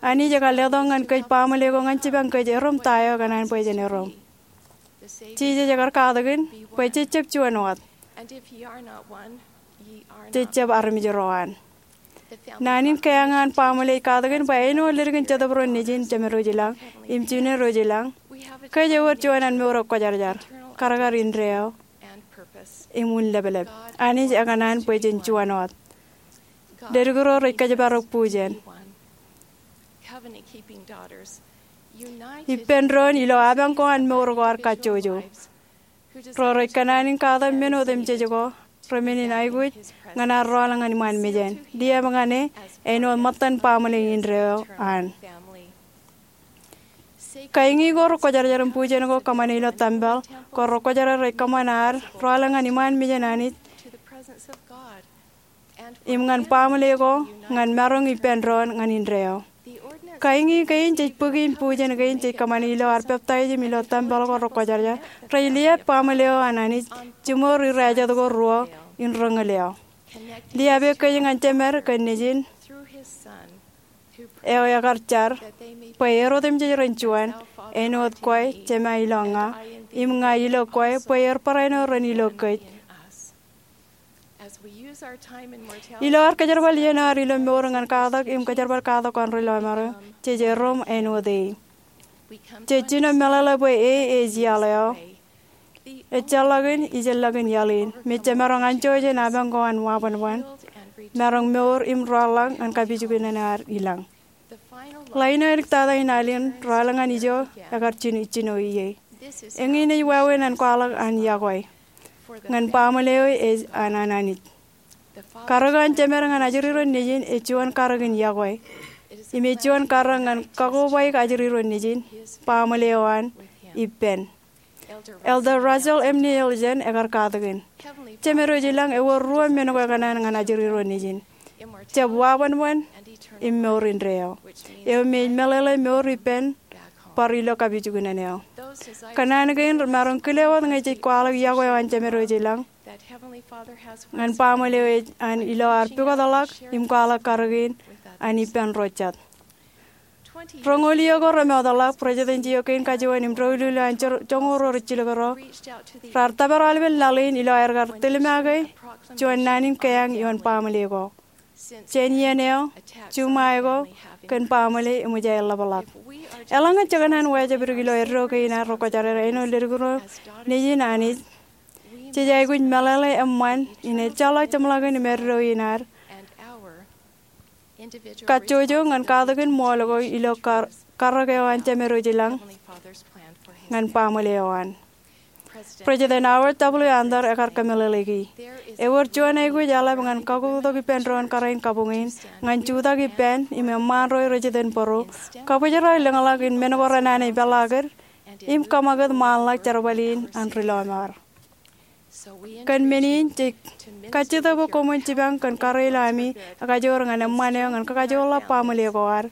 Anij ekar letok ñan kōj baaṃle ko ñan jipañ kōj erom ta eo ekōṇaan bwe jen erom. Jisōs ekar katakin bwe jejjab juon wōt. Jejjab armej ro an. Naan in keañ eo an baaṃle ej katakin bwe āinwōt ledik in Jetōb ro nejin, Jemedwōj ilañ, im Juniorwōj ilañ, kōj ewōr juon an mour eo kwōjarjar, kadkad indeeo, im unleplep. Anij ekōṇaan bwe jen juon wōt. Ledik ro rej kōjparok bujen. Ippān doon ilo apañ ko an mour ko ad kajjojo. Ro rej kōṇaan in katak men otemjej ko, remenin aikuj, ñan ad rọọl ñan iṃaan mejān. Liab ñan e, āinwōt ṃōttan baaṃle indeeo an. Kain ko rekwōjarjar im bujen ko kōṃṃane ilo tempel, ko rekwōjarjar rej kōṃṃan ad rọọl ñan iṃaan mejān Anij im ñan baaṃle ko, ñan maroñ ippān doon ñan indeeo. Kain kein jej bōki im bujen kein jej kōṃṃane ilo ad peptaij im ilo tempel ko rekwōjarjar, rej liab baaṃle eo an Anij, jimor irajat ko ruo in reñal eo. Liab eok kōj ñan Jemed kōn Nejin eo ekar jar, bwe er otemjej ren juon, āinwōt kwe, Jema, ilo ña, im ña ilo kwe, bwe er barāinwōt ren ilo kōj. Ilo ad kōjerbal iien eo ad ilo mour ñan katak im kōjerbal katak ko an ri lọmọọr eo, jej erom āinwōt e. Jej jino meḷeḷe bwe e ej iaḷ eo, ejjeḷọkin, ijellọkin iaḷ in, me jemaroñ anjọ jān apañ ko an wabanban, maroñ mour im rọọlḷọk ñan kapijuknen eo ad ilañ. Ḷain eo eliktata in al in, rọọl ñan ijo, ekar jino ie. Eñin ej wāween an kwaḷọk an yokwe. Ñan baaṃle eo ej an an Anij. Karōk eo an Jemed ñan ajri ro nejin ej juon karōk in yokwe. Im ej juon karōk ñan kakobaik ajri ro nejin, baaṃle eo an, ippān. Elder Russell M. Nelson ekar katakin, Jemedwōj ilañ, ewōr ruo men ko ekōṇaan ñan ajri ro nejin. Jab wabanban im mour indeeo, eo me ej meḷeḷe mour ippān bar ilo kapijuknen eo. Kōṇaan kein remaroñ kile wōt ñe jej kwaḷọk yokwe eo an Jemedwōj ilañ ñan baaṃle eo ej an ilo ad pukotḷọk im kwaḷọk karōk in an ippān ro jet. Roñoul iiō ko remootḷọk, presidents iiō kein kajuon im doulul eo an joñoul ro rijjilōk ro raar tōpar aolepen laḷ in ilo aer kar tilmake juon naan in keañ ioon baaṃle ko. Jān iien eo, juṃae ko kōn baaṃle eṃōj aer ḷapḷọk. Eḷaññe jekōṇaan wāween ilo eddo kein ad rekwōjarjar āinwōt ledik ro nejin Anij, jej aikuj meḷeḷe eṃṃan in ejjeḷọk jeṃḷọkin im eddo in ad kajjojo ñan katakin ṃool ko ilo kar-, karōk eo an Jemedwōj ilañ ñan baaṃle eo an. President Howard W. Hunter ekar kōmeḷeḷeiki, ewōr juon aikuj eḷap ñan kakotok ippān doon kōrā in kabuñ in, ñan jutak ippān im eṃṃaan ro rej iten bōro, kabōjrak lōñḷọk in men ko renana ipeḷaakid, im kōṃakūt ṃaanḷọk jerbal in an ri lọmọọr. Kōn men in, jej kajjitōk bwe koṃwin jipañ kōn karilaṃ ami ekajoor ñan eṃṃan eo ñan kakajoorḷọk baaṃle ko ad,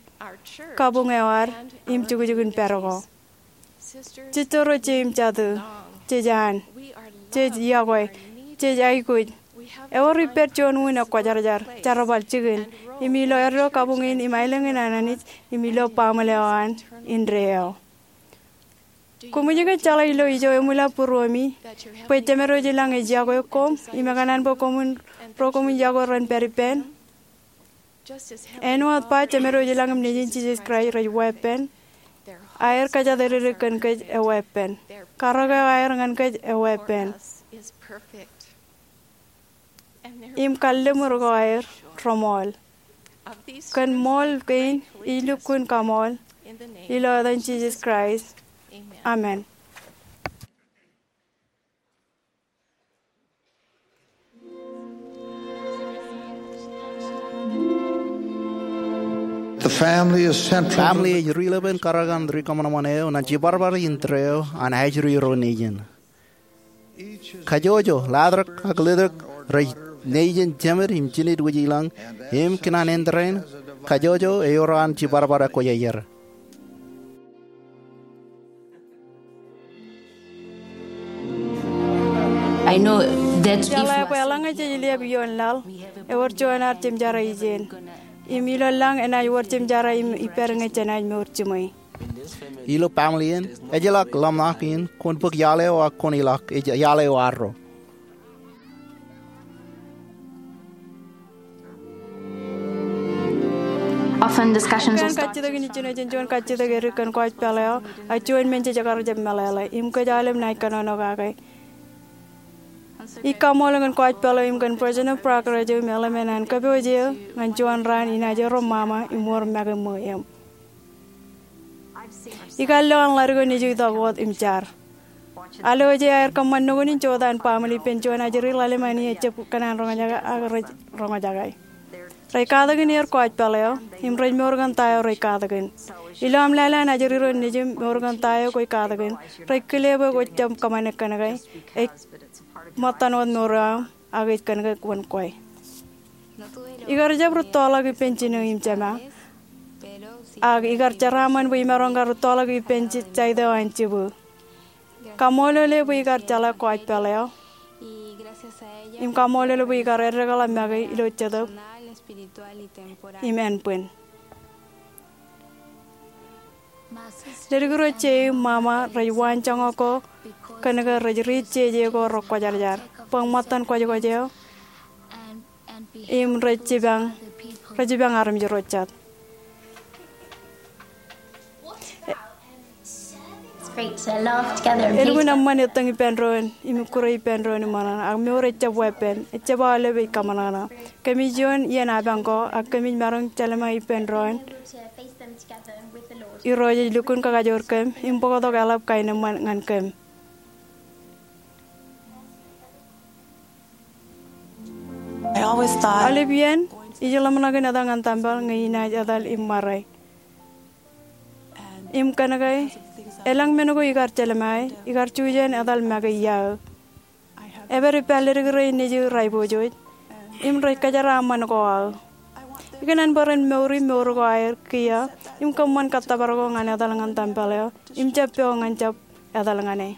kabuñ eo ad, im jukjuk in pād ko. Jisō ro, jeiū im jatū, jej an, jej yokwe, jej aikuj. Ewōr ippād juon un ekwōjarjar, jerbal jikin, im ilo eddo kabuñ in im aelōñ in an Anij, im ilo baaṃle eo an indeeo. Koṃij ke jeḷā ilo ijo eṃwilaḷ būruemi bwe Jemedwōj ilañ ej yokwe koṃ im ekōṇaan bwe koṃwin, ro koṃwin yokwe ren pād ippān? Āinwōt ba Jemedwōj ilañ im Nejin Jisōs Kraist rej weeppān, aer kōjatdikdik kōn kōj eweeppān. Karōk eo aer ñan kōj eweeppān. Im kalliṃur ko aer reṃool. Kōn ṃool kein ij lukkuun kaṃool ilo etan Jisōs Kraist. Amen. The family is central to Family ej ri-lepen karōk an ri-kōṃanṃan eo ñan jibadbad indeeo an ajri ro nejin. Kajjojo, latrōk ak letok, rej nejin jemed im jined wōj ilañ, im kōn an indeeo, kajjojo eor an jibadbad ekwe iar. I know that if Jeḷā bwe eḷaññe jej liab ioon laḷ, ewōr juon ad jemjaad ijin. Im ilo lañ enaaj wōr jemjaad im ippād ñe jenaaj mour jiṃwe. Ilo baaṃle in, ejjeḷọk ḷōmṇak in kwōn bōk iaḷ eo ak kwōn ilọk, ej iaḷ eo arro. Often discussions Kōn kajjitōk in ijjino jān juon kajjitōk edik kōn kwōj pālle eo, ak juon men jej kar jab meḷeḷe, im kōj aolep naaj kōnono kake. Ij kaṃool kōn kwōj pālle eo im kōn President Parker eo im eḷmen an kōpooj eo ñan juon raan inaaj erom ṃaṃa im wōr make ṃweo eṃ. Ikar lo an ḷadik eo nejū itok wōt im jar. Alwōje aer kōṃṃan nukun in jota an baaṃle ippān juon ajri ḷalem an ejjab kōṇaan roñjake ak rej roñjake. Rej katakin er kwōj pālle eo, im rej mour kōn ta eo rej katakin. Ilo aṃ lale an ajri ro nejū im mour kōn ta eo kwōj katakin, rej kile bwe kwōj jab kōṃṃane kōnke ej ṃōttan wōt mour eo aṃ, ak ej kōnke wōn kwe. Ikar jab rūttoḷọk ippān jinō im jema, ak ikar jeraaṃṃan bwe imaroñ kar rūttoḷọk ippān jaite eo an jibū. Kaṃṃoolol e bwe ikar jeḷā kwōj pālle eo, im kaṃṃoolol e bwe ikar eddekḷọk make ilo jetōb im ānbwin. Ledik ro jeiū im ṃaṃa rej waanjoñak ko kōnke rej riit jeje ko rekwōjarjar bwe ṃōttan kwōjkwōj eo im rej jipañ, rej jipañ armej ro jet. Elukkuun eṃṃan etōñ ippān doon im ikkure ippān doon im ṃōṇōṇō, ak mour ejjab weeppān, ejjab aolep ej kōṃōṇōṇō. Kōmij iioon iien apañ ko, ak kōmij maroñ jelṃae ippān doon. Irooj ej lukkuun kakajoor kōm im bōktok eḷap kaenōṃṃan ñan kōm. Aolep iien ij ḷōmṇak in etal ñan tempel ñe inaaj etal im ṃare. Im kōnke elōñ men ko ikar jelṃae, ikar jujen etal make iaō. Epād ippa ledik rein nejū rej aiboojoj im rej kōjeraaṃṃan ko aō. Ikōṇaan bwe ren mour im mour ko aer kiiō im kōṃṃan kōttōpar ko ñan etal ñan tempel eo im jab pok ñan jab etal ñan e.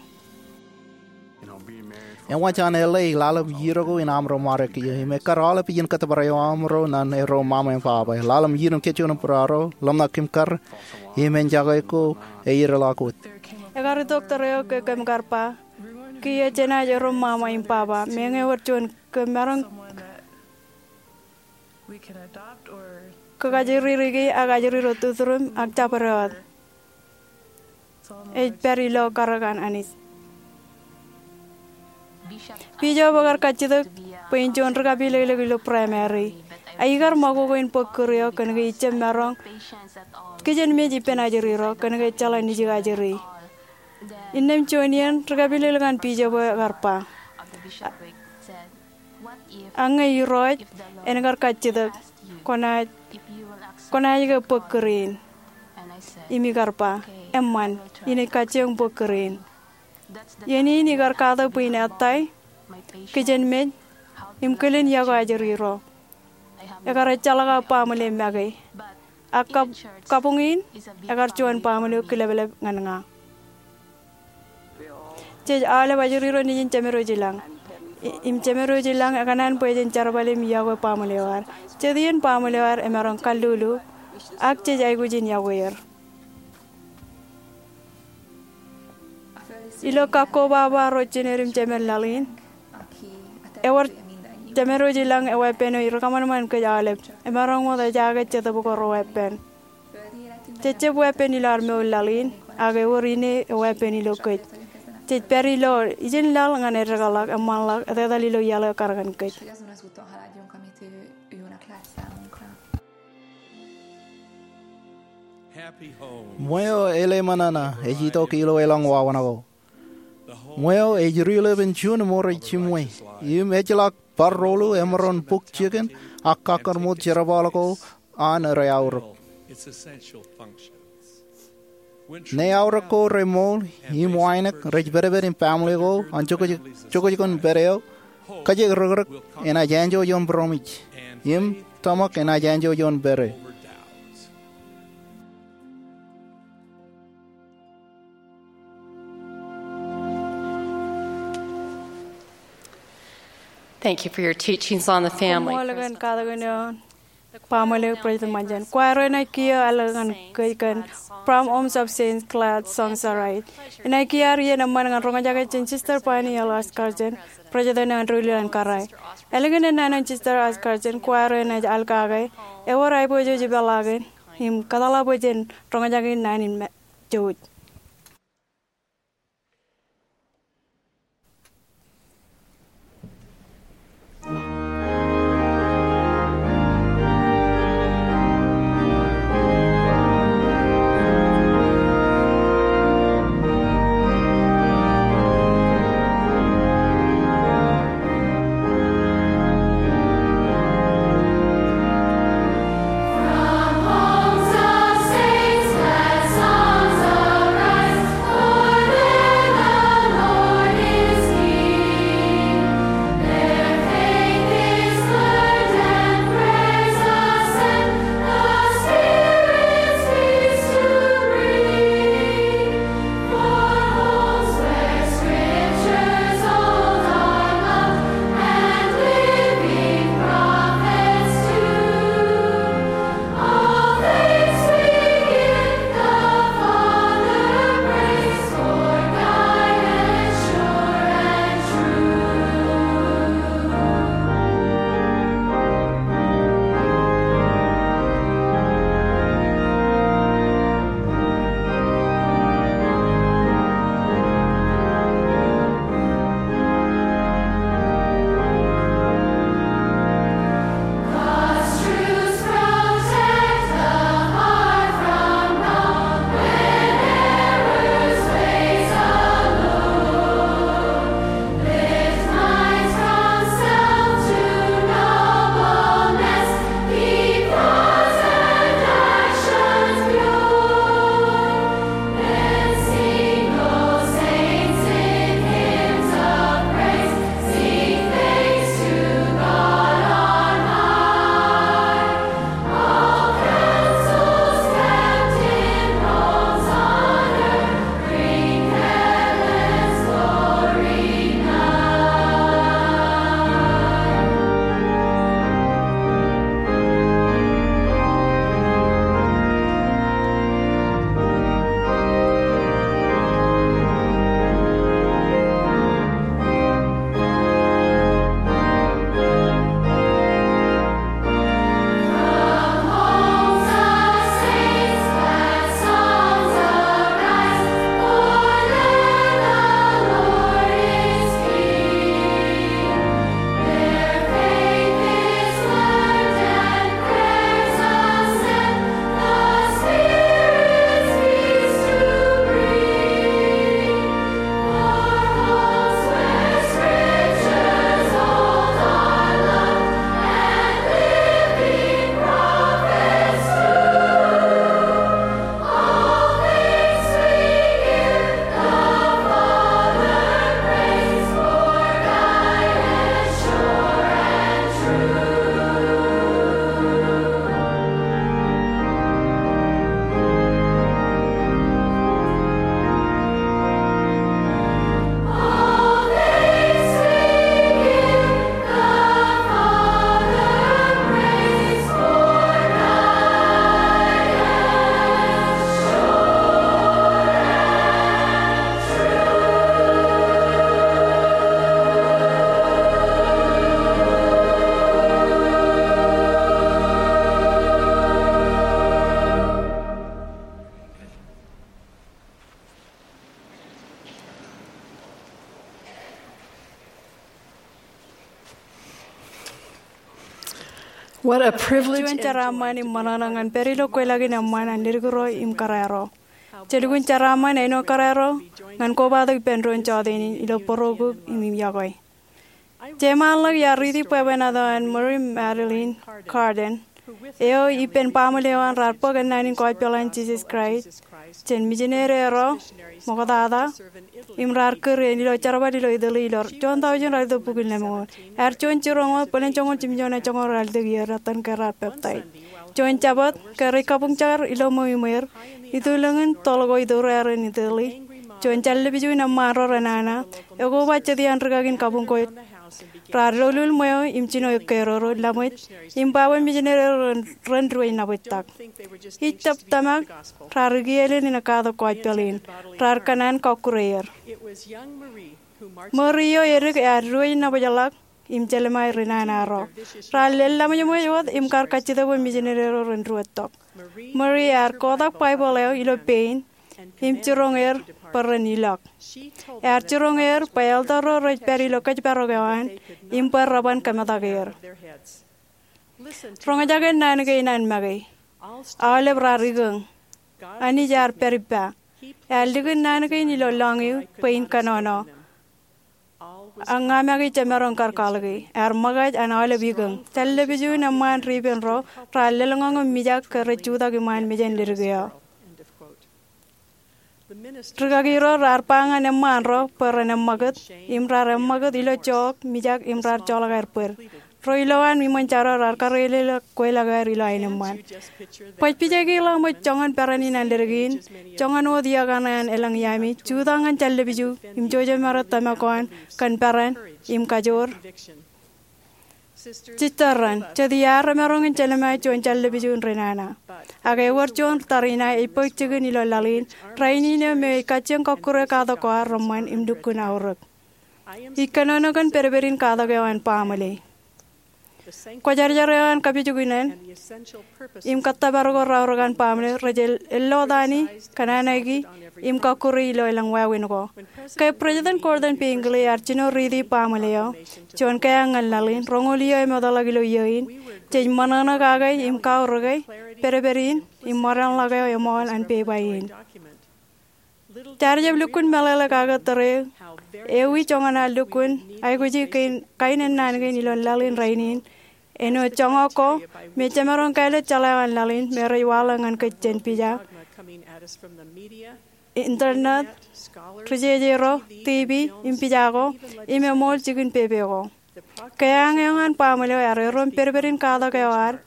Ewōr jān ḷe ḷalem iien ko in aṃro ṃare kiiō im ekkar aolep iien kōttōpar eo aṃro ñan ro ṃaṃa im baba. Ḷalem iien im kōjjuon im būruō, ḷōmṇak kōm kar im enjoy ko eiddeḷọk wōt. Ekar itok tōre eo ke kōm kar ba, kiiō jenaaj ro ṃaṃa im baba, meñe ewōr juon kōm maroñ kōkajjirikiki ak ajri ro tuturuṃ ak jabdewōt. Ej pād ilo karōk an Anij. Bishop ekar kajjitōk bwe in juon ri-kapilōklōk ilo primary. A ikar ṃakoko in bōk kūr eo kōnke ij jab maroñ kijenmej ippān ajri ro kōnke jeḷā nejū ajri. Innām juon iien ri-kapilōklōk an bishop eo ekar ba, ak ñe Irooj en kar kajjitōk, kwōnaaj, kwōnaaj ke bōk kūr in? Im ikar ba, eṃṃan, inaaj kajjioñ bōk kūr in. Iien in ikar katak bwe in ettā kijenmej, im kilen yokwe ajri ro. Ekar ejjeḷọk aō baaṃle make. Ak kab-, kabuñ in, ekar juon baaṃle kileplep ñan ña. Jej aolep ajri ro nejin jemed eo ej ilañ. I-, im jemed eo ej ilañ ekōṇaan bwe jen jerbal im yokwe baaṃle eo ad. Jet iien baaṃle eo ad emaroñ kallulu, ak jej aikuj in yokwe er. Ilo kakko baba ro jined im jemed laḷ in, ewōr jemed eo ej ilañ eweeppān eo ij rikōṃanṃan kōj aolep. Emaroñ wōt ejaake jetōb ko reweeppān. Jej jab weeppān ilo ad mour laḷ in, ak ewōr ine eweeppān ilo kōj. Jej pād ilo ijin laḷ ñan eddekḷọk, eṃṃanḷọk, etetal ilo iaḷ eo ekar kōn kōj. Ṃweo elōñ ṃōṇōṇō ej itok ilo elōñ wāween ko. Ṃweo ej rilepen juon ṃōrā jiṃwe, im ejjeḷọk bar rōḷḷu emaroñ bōk jikin ak kakkōnṃōd jerbal ko an rej aorōk. Ṇe aorōk ko rej ṃool im wānōk, rej pedped im baaṃle ko an jokjokon pād eo, kajekdikdik enaaj enjeḷ ioon būroṃōj, im tōmak enaaj enjeḷ ioon pād eo. Thank you for your teachings on the family. Koṃṃool kōn katakin eo an baaṃle, President Monson. Choir eo enaaj kiiō alen ñan kōj kōn From Homes of Saints Glad Songs Are Right. Enaaj kiiō ad iien eṃṃan ñan roñjake jān Sister Bonnie L. Oscarson, President eo an Ruḷōn Kōrā. Ālikin ennaan in Sister Oscarson, choir eo enaaj al kake, ewōr aiboojoj ipeḷaakin, im kōtḷọk bwe jen roñjake naan in me-, jouj. Juon jeraaṃṃan im ṃōṇōṇō ñan pād ilo kweilọk in eṃṃan an ledik ro im kōrā ro. Jelukkuun jeraaṃṃan āinwōt kōrā ro ñan kobatok ippān doon jọteen in ilo bōro kuk im im yokwe. Jeṃaanḷọk iar riiti bwebwenato an Mary Magdalene Carden, eo ippān baaṃle eo an raar bōk ennaan in gospel an Jisōs Kraist jān mijinede ro ṃoktata im raar kūr eṇ ilo jerbal ilo Italy ilo juon tọujin ralitōk bukwi lemñoul. Ear juon jiroñ wōt bōlen joñoul jimjuon joñoul ralitōk iiō ettan ke raar peptaij. Juon Jabōt ke rej kabuñjar ilo ṃweo iṃweer, itulōñ in toḷ ko itureer in Italy, juon jān lepiju in eṃṃaan ro renana ekoba jet iaan rikaki in kabuñ ko raar lolul ṃweo im jino ekkerodo laṃōj im ba bwe mijinede ro ren diwōj nabōjtak. Ij tōmak raar ikielel in katak gospel in, raar kōṇaan kọkkure er. Mary eo edik ear diwōj nabōjḷọk im jelṃae ri nana ro. Raar lel laṃōjṃōj wōt im kar kajjitōk bwe mijinede ro ren diwōjtok. Mary ear kotak Baibōḷ eo ilo pein im jiroñ er bwe ren ilọk. Ear jiroñ er bwe elder ro rej pād ilo kōjparok eo an im bwe reban kōmetak er. Roñjake naan kein an make. Aolep raar ikōñ. Anij ear pād ippa. Ear likin naan kein ilo lọñiu bwe in kōnono. Ak ña make jemaroñ kar kwaḷọke. Ear ṃōkaj an aolep ikōñ. Jān lepiju in eṃṃaan ri ippān ro raar lōḷñọñ im mijak ke rej jutak iṃaan mejān ledik eo. Rikaki ro raar ba ñan eṃṃaan ro bwe ren eṃṃakūt im raar eṃṃakūt ilo jook, mijak im raar joḷọk aer bōd. Ro ilowaan iṃōn jaro raar karreoḷọk kweilọk eo aer ilo aenōṃṃan. Baj pija ke ḷak ṃōj joñan peran in an ledik in, joñan wōt iiō kaṇe an elōñ iaami, jutak ñan jān lepiju im jouj im maroñ tōmak ko an kōn peran im kajoor. Jistōr ren, jet iar remaroñ in jelṃae juon jān lepiju in ri nana. Ak ewōr juon tariṇae ej bōk jikin ilo laḷ in rainin eo me ej kajjioñ kọkkure katak ko ad reṃṃan im lukkuun aorōk. Ij kōnono kōn pedped in katak eo an baaṃle. Kwōjarjar eo an kapijuknen im kōttōpar ko raorōk an baaṃle rej elotani, kōnanaiki im kọkkure ilo elōñ wāween ko. Ke President Gordon B. Hinckley ear jino riiti baaṃle eo, juon keañ ñan laḷ in, roñoul iiō eṃootḷọk ilo iiō in, jej ṃōṇōṇō kake im kaorōke pedped in im ṃōdeañḷọk eo eṃool an pepa in. Jaar jab lukkuun meḷeḷe kake tōre ewi joñan ad lukkuun aikuji kain ennaan kein ilo laḷ in rainin, āinwōt joñak ko me jemaroñ kāālōt jeḷā eo an laḷ in me rej waḷọk ñan kōj jān pija, internet, ri-jeje ro, TV, im pija ko, im eṃool jikin pepe ko. Keañ eo an baaṃle eo ear erom pedped in katak eo ad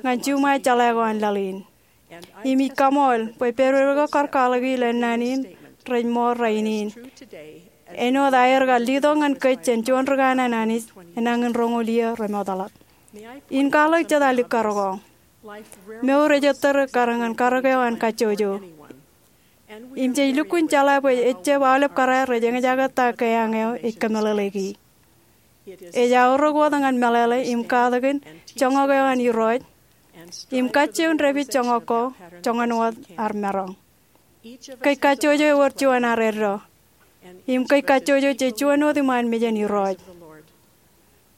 ñan juṃae jeḷā ko an laḷ in. Im ij kaṃool bwe pedped ko kar kwaḷọki ilo ennaan in rej ṃool rainin. Āinwōt aer kar letok ñan kōj jān juon ri kanaan Anij enañin roñoul iiō remootḷọk. In kwaḷọk jet alikkar ko. Mour ej ettōr ekkar ñan karōk eo an kajjojo. Im jej lukkuun jeḷā bwe ejjab aolep kōrā rej eñjake ta keañ eo ej kōmeḷeḷeiki. Ej aorōk wōt ñan meḷeḷe im katakin joñak eo an Irooj im kajjioñ dāpij joñak ko joñan wōt ad maroñ. Kōj kajjojo ewōr juon ad eddo. Im kōj kajjojo jej juon wōt iṃaan mejān Irooj.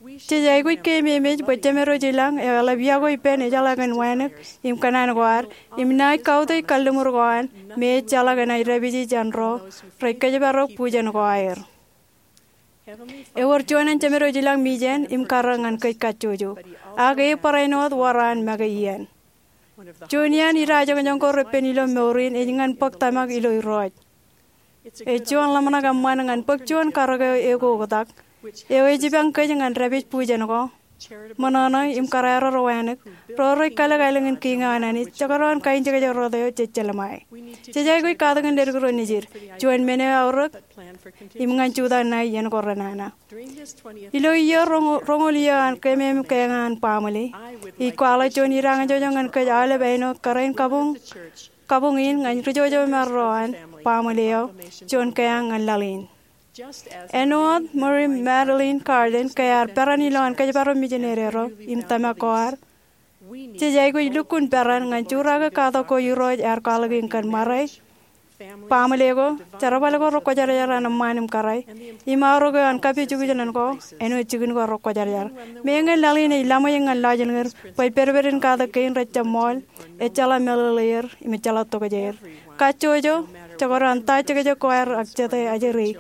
Jej aikuj keememej bwe Jemedwōj ilañ eo eḷap yokwe ippān ejeḷā kōn wānōk im kōṇaan ko ad im naaj kautiej kalliṃur ko an me ej jeḷā kōn aer dāpiji jān ro rej kōjparok bujen ko aer. Ewōr juon an Jemedwōj ilañ mijen im karōk ñan kōj kajjojo. Ak e barāinwōt wōr an make iien. Juon iaan idajoñjoñ ko repen ilo mour in ej ñan bōk tōmak ilo Irooj. Ej juon ḷōmṇak eṃṃan ñan bōk juon karōk eo ekoktak eo ej ibañ kōj ñan dāpij bujen ko, ṃōṇōṇō im kōrā ro ro wānōk, ro rej kalōk aelōñ in kiiñ eo an Anij, jekdọọn kainjekjek rot eo jej jelṃae. Jej aikuj katakin ledik ro nejid, juon men eo eaorōk im ñan jutak ṇae iien ko renana. Ilo iiō roñoul iiō an keememej keañ an baaṃle, ij kwaḷọk juon idañjọjọ ñan kōj aolep āinwōt kōrā in kabuñ in ñan ri jojomar ro an baaṃle eo, juon keañ ñan laḷ in. Āinwōt Mary Magdalene Carden ke ear peran ilowaan kōjparok mijinede ro im tōmak ko ad, jej aikuj lukkuun peran ñan jurake katak ko Irooj ear kwaḷọk in kōn ṃare baaṃle ko, jerbal ko rekwōjarjar an eṃṃaan im kōrā, im aorōk eo an kapijukjṇan ko āinwōt jikin ko rekwōjarjar. Meñe laḷ in ej laṃōj ñan lọjilñid, bwe pedped in katak kein rejjab ṃool, ejjeḷọk meḷeḷeir im ejjeḷọk tokjāer. Kajjojo, jekdọọn ta jekjek ko aer ak jete ajri,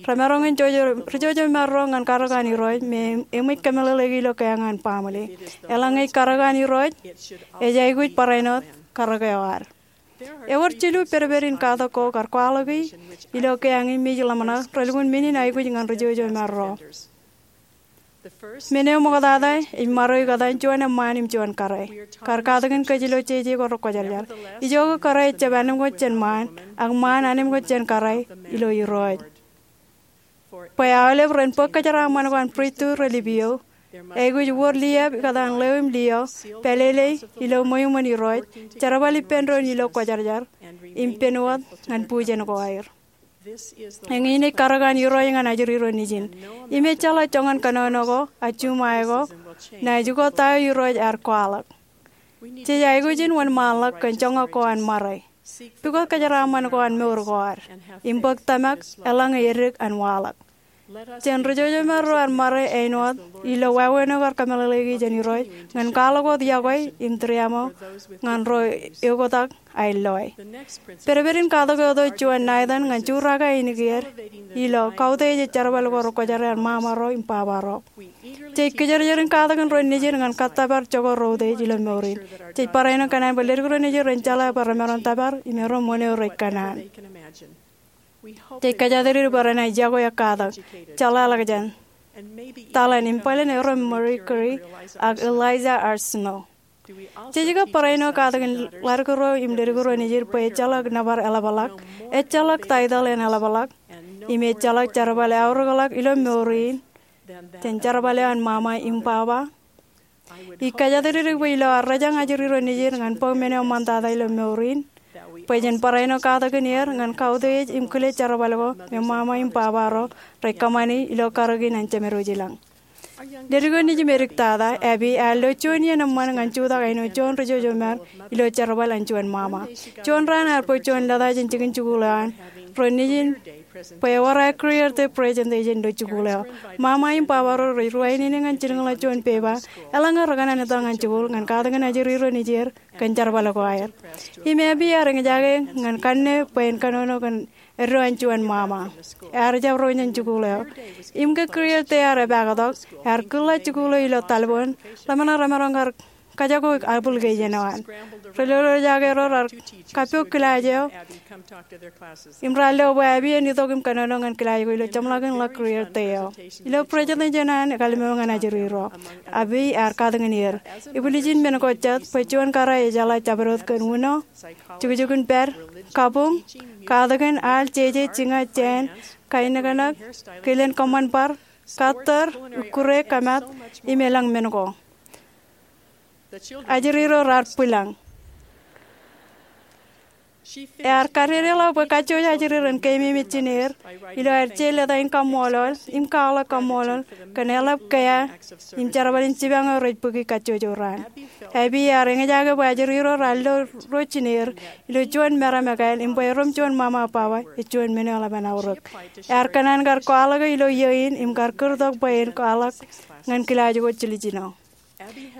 remaroñ in ri-, rijojomaro ñan karōk an Irooj me eṃōj kōmeḷeḷeiki ilo keeañ an baaṃle. Eḷaññe ej karōk an Irooj, ej aikuj barāinwōt karōk eo ad. Ewōr jilu pedped in katak ko kar kwaḷọki ilo keeañ in me ij ḷōmṇak relukkuun men in aikuj ñan rijojomaro. Men eo ṃoktata ej ṃaroik etan juon eṃṃaan im juon kōrā. Kar katakin kōj ilo jeje ko rekwōjarjar. Ijoke kōrā ejjab anemkwōj jān ṃaan, ak ṃaan anemkwōj jān kōrā ilo Irooj. Bwe aolep ren bōk kōjeraaṃṃan ko an pristut relip iiō, aikuj wōr liab ikōtaan ḷeo im liaḷ, pālele ilo ṃweo iṃōn Irooj, jerbal ippān doon ilo kwōjarjar, im pen wōt ñan bujen ko aer. Eñin ej karōk an Irooj ñan ajri ro nejin. Im ejjeḷọk joñan kōnono ko, ak juṃae ko, naaj ukōt ta eo Irooj ear kwaḷọk. Jej aikuj in wōnṃaanḷọk kōn joñak ko an ṃare. Pukot kōjeraaṃṃan ko an mour ko ad. Im bōk tōmak eḷaññe edik an waḷọk. Jen rijojomaro an ṃare āinwōt ilo wāween eo kar kōmeḷeḷeiki jān Irooj ñan kwaḷọk wōt yokwe im tūriaṃo ñan ro eoktak aer loe. Pedped in katak eo tok juon Nathan ñan jurake ainikien ilo kautiej ej jerbal ko rekwōjarjar an ṃaṃaro im babaro. Jej kijerjer in katakin ro nejid ñan kōttōpar jokwe ro utiej ilo mour in. Jej barāinwōt kōṇaan bwe ledik ro nejid ren jeḷā bwe remaroñ tōpar im erom wōn eo rej kōṇaan. Jej kōjatdikdik bwe renaaj yokwe ak katak, jeḷāḷọkjeṇ, taḷen im bōlen erom Marie Curie ak Eliza R. Snow. Jej kab barāinwōt katakin ḷadik ro im ledik ro nejid bwe ejjeḷọk nōbar eḷapḷọk, ejjeḷọk taitōḷ en eḷapḷọk, im ejjeḷọk jerbal eaorōkḷọk ilo mour in jān jerbal eo an ṃaṃa im baba? Ij kōjatdikdik bwe ilo ad rōjañ ajri ro nejid ñan bōk men eo ṃaantata ilo mour in, bwe jen barāinwōt katakin er ñan kautiej im kile jerbal ko me ṃaṃa im babaro rej kōṃṃani ilo karōk in an Jemedwōj ilañ. Ledik eo nejid im edik tata, Abby, ear lo juon iien eṃṃan ñan jutak āinwōt juon rijojomar ilo jerbal an juon ṃaṃa. Juon raan ear bōk juon lōta jān jikin jikuuḷ eo an ro nejid bwe ewōr aer career day presentation ilo jikuuḷ eo. Ṃaṃa im babaro rej ruwainene ñan jilkinḷọk juon pepa, eḷaññe rekōṇaan etal ñan jikuuḷ ñan katakin ajri ro nejier kōn jerbal ko aer. Im Abby ear eñjake ñan kanne bwe en kōnono kōn eddo an juon ṃaṃa. Ear jab ro jān jikuuḷ eo. Im ke career day ear epaaktok, ear kūrḷọk jikuuḷ eo ilo talboon, ḷōmṇak remaroñ kar kajako application eo an. Ri-lolojake ro raar kappok kilaaj eo im raar lo bwe Abby en itok im kōnono ñan kilaaj ko ilo jeṃḷọkin ḷọk career day eo. Ilo presentation eo an ekalmo ñan ajri ro, Abby ear katakin er. Ibwiljin men ko jet bwe juon kōrā ejeḷā jabdewōt kōn uno, jukjukin pād, kabuñ, katakin, al, jeje, jiña, jāān, kainōknōk, kilen kōṃṃan bar, kattōr, ikkure, kōmat, im elōñ men ko. Ajri ro raar bwilōñ. Ear kadedeḷọk bwe kajjojo ajri ren keememej jineer ilo aer je lōta in kaṃṃoolol im kwaḷọk kaṃṃoolol kōn eḷap kea im jerbal in jipañ eo rej bōki kajjojo raan. Abby ear eñjake bwe ajri ro raar lo ro jineer ilo juon meram ekāāl im bwe erom juon ṃaṃa baba ej juon men eo eḷap an aorōk. Ear kōṇaan kar kwaḷọk e ilo iiō in im kar kūrtok bwe en kwaḷọk ñan kilaaj ko jiljino.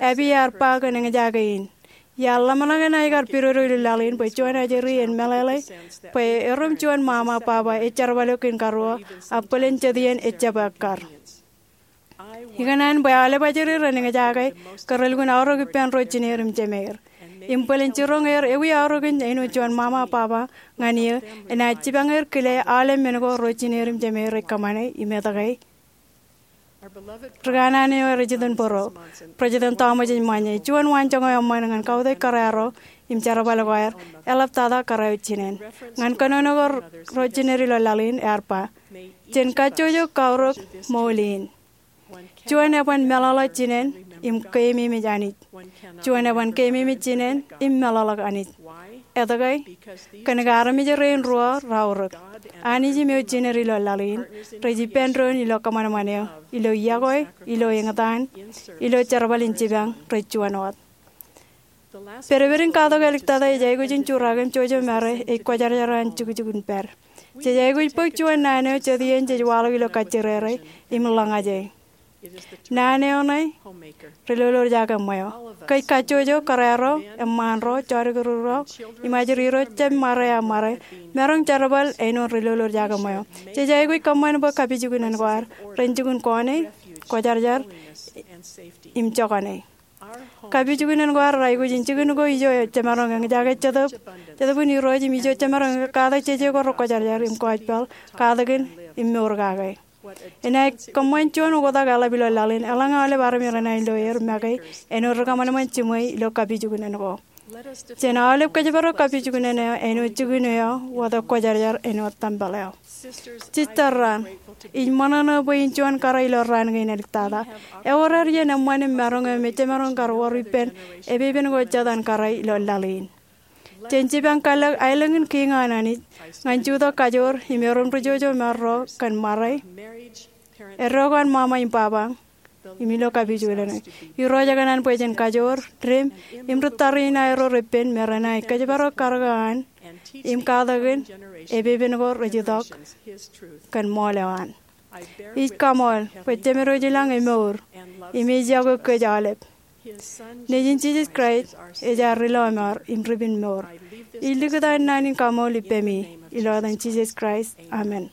Abby ear ba kōn eñjake in, iar ḷōmṇak enaaj kar pidodo ilo laḷ in bwe juon ajri en meḷeḷe bwe erom juon ṃaṃa baba ej jerbal eok in karuo, ak bōlen jet iien ejjab ekkar. Ikōṇaan bwe aolep ajri ren eñjake ke relukkuun aorōk ippān ro jineer im jemeir. Im bōlen jiroñ er ewi aorōk in āinwōt juon ṃaṃa baba ñan eō enaaj jipañ er kile aolep men ko ro jineer im jemeir rej kōṃṃane im etke. Ri kanaan eo rej itok bōro, President Thomas S. Monson, juon waanjoñak eo eṃṃan ñan kautiej kōrā ro im jerbal ko aer, eḷaptata kōrā eo jinen. Ñan kōnono ko ro jineer ilo laḷ in ear ba, jen kajjojo kaorōk ṃool in. Juon eban meḷọkḷọk jinen im keememej Anij. Juon eban keememej jinen im meḷọkḷọk Anij. Etke? Kōnke armej rein ruo raorōk. Anij im eo jineer ilo laḷ in rej ippān doon ilo kōṃanṃan eo, ilo yokwe, ilo eñtaan, ilo jerbal in jipañ rej juon wōt. Pedped in katok āliktata ej aikuj in juraak im jojo mare ej kwōjarjar an jukjuk in pād. Jej aikuj bōk juon naan eo jet iien jej waḷọk ilo kajjirere im ḷōñaje. Naan eo ṇe ri-lolorjake ṃweo. Kōj kajjojo, kōrā ro, eṃṃaan ro, jodikdik ro, im ajri ro jab ṃare aṃ ṃare, maroñ jerbal āinwōt ri-lolorjake ṃweo. Jej aikuj kōṃṃan bwe kapijuknen ko ad ren jikin kọọne, kwōjarjar, im jokane. Kapijuknen ko ad reaikuj in jikin ko ijo jemaroñ eñjake Jetōb, Jetōb in Irooj im ijo jemaroñ katak jeje ko rekwōjarjar im kwōj pād katakin im mour kake. Enaaj kōṃṃan juon oktak eḷap ilo laḷ in, eḷaññe aolep armej renaaj lo er make āinwōt ri-kōṃanṃan jiṃwe ilo kapijuknen ko. Jen aolep kōjparok kapijuknen eo āinwōt jikin eo wōt kwōjarjar āinwōt tempel eo. Jisōs raan, ij ṃōṇōṇō bwe in juon kōrā ilo raan kein āliktata. Ewōr ad iien eṃṃan im maroñ eo me jemaroñ kar wōr ippān epepen ko jet an kōrā ilo laḷ in. Jen jipañ kallek aelōñ in Kiiñ an Anij ñan jutak kajoor im erom ri-jojo marro kōn ṃare, eddo ko an ṃaṃa im baba, im ilo kapijuknen eo. Irooj ekōṇaan bwe jen kajoor, dem, im ri-tariṇae ro repen me renaaj kōjparok karōk eo an im katakin epepen ko rej itok kōn ṃool eo an. Ij kaṃool bwe Jemedwōj ilañ emour im ej yokwe kōj aolep. Nejin Jisōs Kraist ej ad ri-lọmọọr im ri-pinmour. Ij likūt an naan in kaṃool ippemi ilo etan Jisōs Kraist, amen.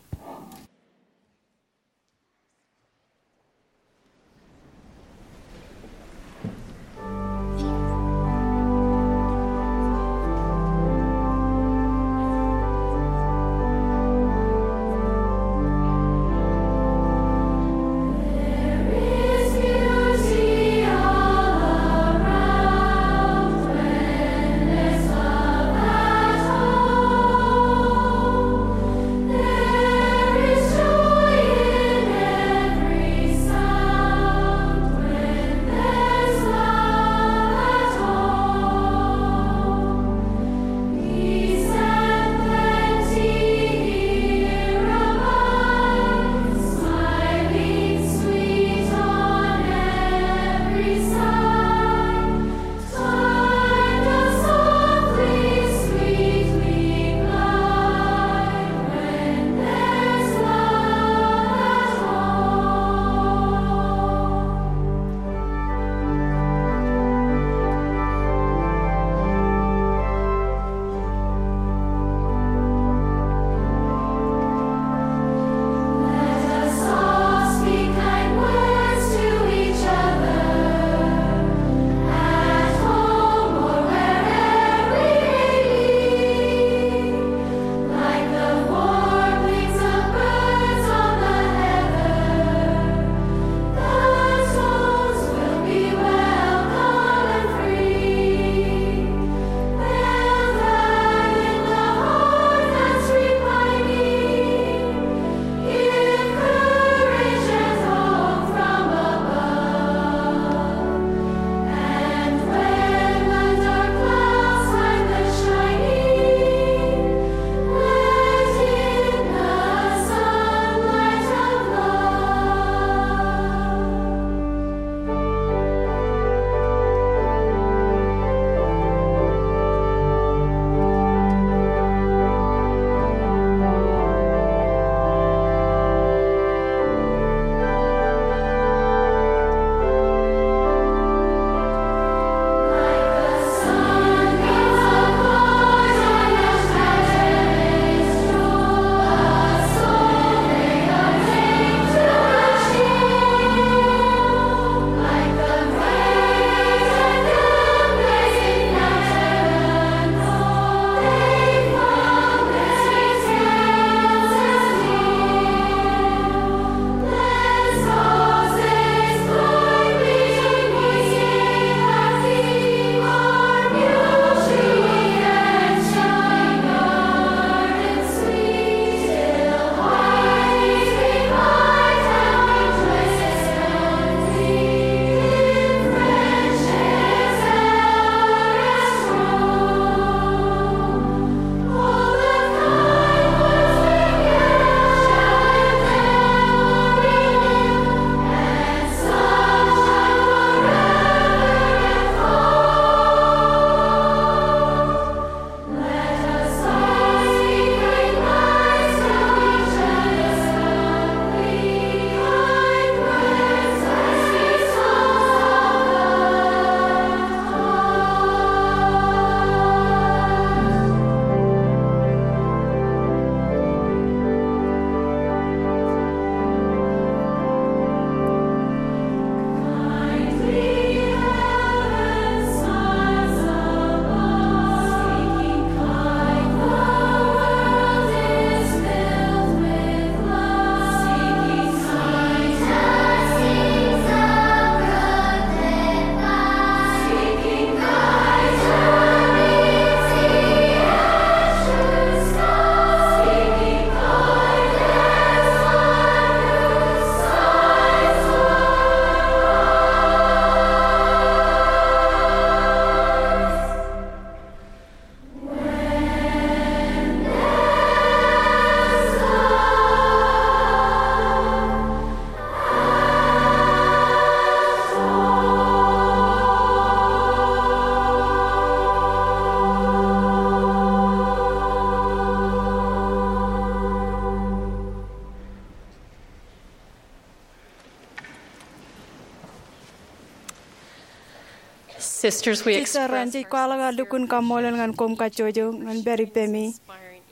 Sisters, we Jej express tōre jej kwaḷọk aō lukkuun kaṃṃoolol ñan koṃ kajjojo ñan pād ippemi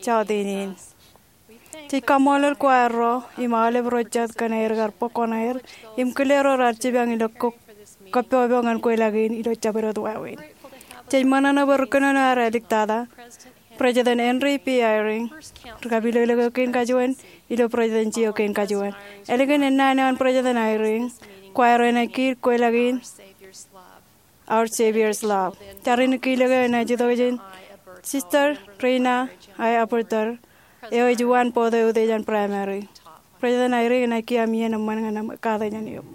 jọteen in. Jej kaṃṃoolol choir ro im aolep ro jet kōn aer kar bōk koṇaer im kile ro raar jipañ ilo ko-, kappokpok ñan kweilọk in ilo jabdewōt wāween. Jej ṃōṇōṇō bwe ri kōnono ad āliktata, President Henry B. Eyring, ri kapilōklōk eo kein kajuon ilo presidency eo kein kajuon. Ālikin ennaan eo an President Eyring, choir eo enaaj kiil kweilọk in Our Savior's Love. Tarrin kilōk eo enaaj itok jān Sister Reina I. Aburter, eo ej uwaan board eo eutiej an Primary. President Eyring enaaj kiiō am iien eṃṃan ñan aṃ katak jān eok.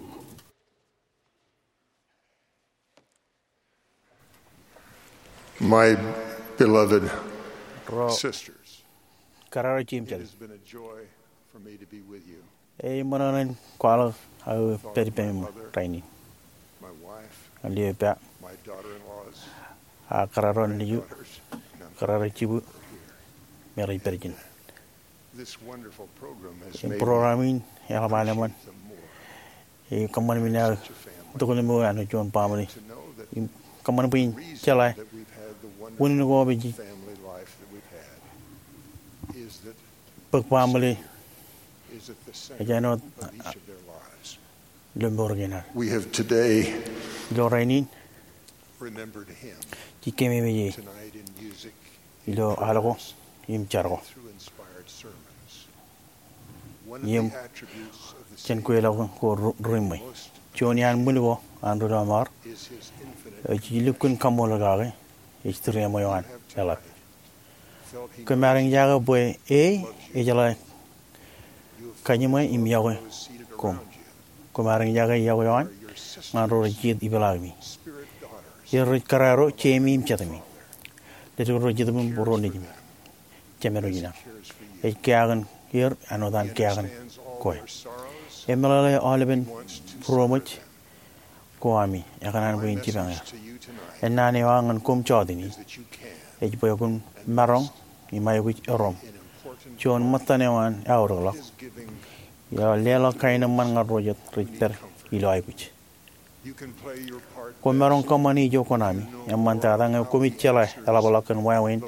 My beloved Ro sisters, kararo jeiū im it jete, has been a joy for me to be with you. Ej ṃōṇōṇō in kwaḷọk aō pād ippemi rainin. My wife, ñan lio ippa, my daughter-in-laws, ak kararo nejū, daughters, kararo jibwin, me rej pād ijin. This wonderful program has made me appreciate them more. Im program in eḷap an eṃṃan. Ej kōṃṃan men aō itok ilo mour eo an juon baaṃle. Im kōṃṃan bwe in jeḷā unin ko ej bōk baaṃle ej āinwōt ilo mour kein ad. We have today, ilo rainin, remembered him jej keememej e tonight in music, ilo al ko im jar ko, through inspired sermons. Im jān kweilọk ko ri-, riṃṃwe. Juon iaan ṃwil ko an ri-lọmọọr eo jej lukkuun kaṃṃoolol kake ej tūriaṃwe eo an eḷap. Koṃ ar eñjake bwe e ejeḷā kajiṃwe im yokwe koṃ. Koṃ ar eñjake yokwe eo an ñan ro rej jijet ipeḷaakimi. Er rej kararo jeimi im jetemi. Leddik ro rej itok im būruon nejimi. Jemedwōj ilañ. Ej keakin er āinwōt an keakin kwe. Emeḷeḷe aolepen būroṃōj ko ami, ekōṇaan bwe in jipañ er. Ennaan eo aō ñan koṃ jọteen in ej bwe kwōn maroñ im aikuj erom juon ṃōttan eo an aorōkḷọk ilo leḷọk kaenōṃṃan ñan ro jet rej pād ilo aikuj. Kwōn maroñ kōṃṃane ijo koṇaami, eṃṃantata ñe koṃij jeḷā eḷapḷọk kōn wāween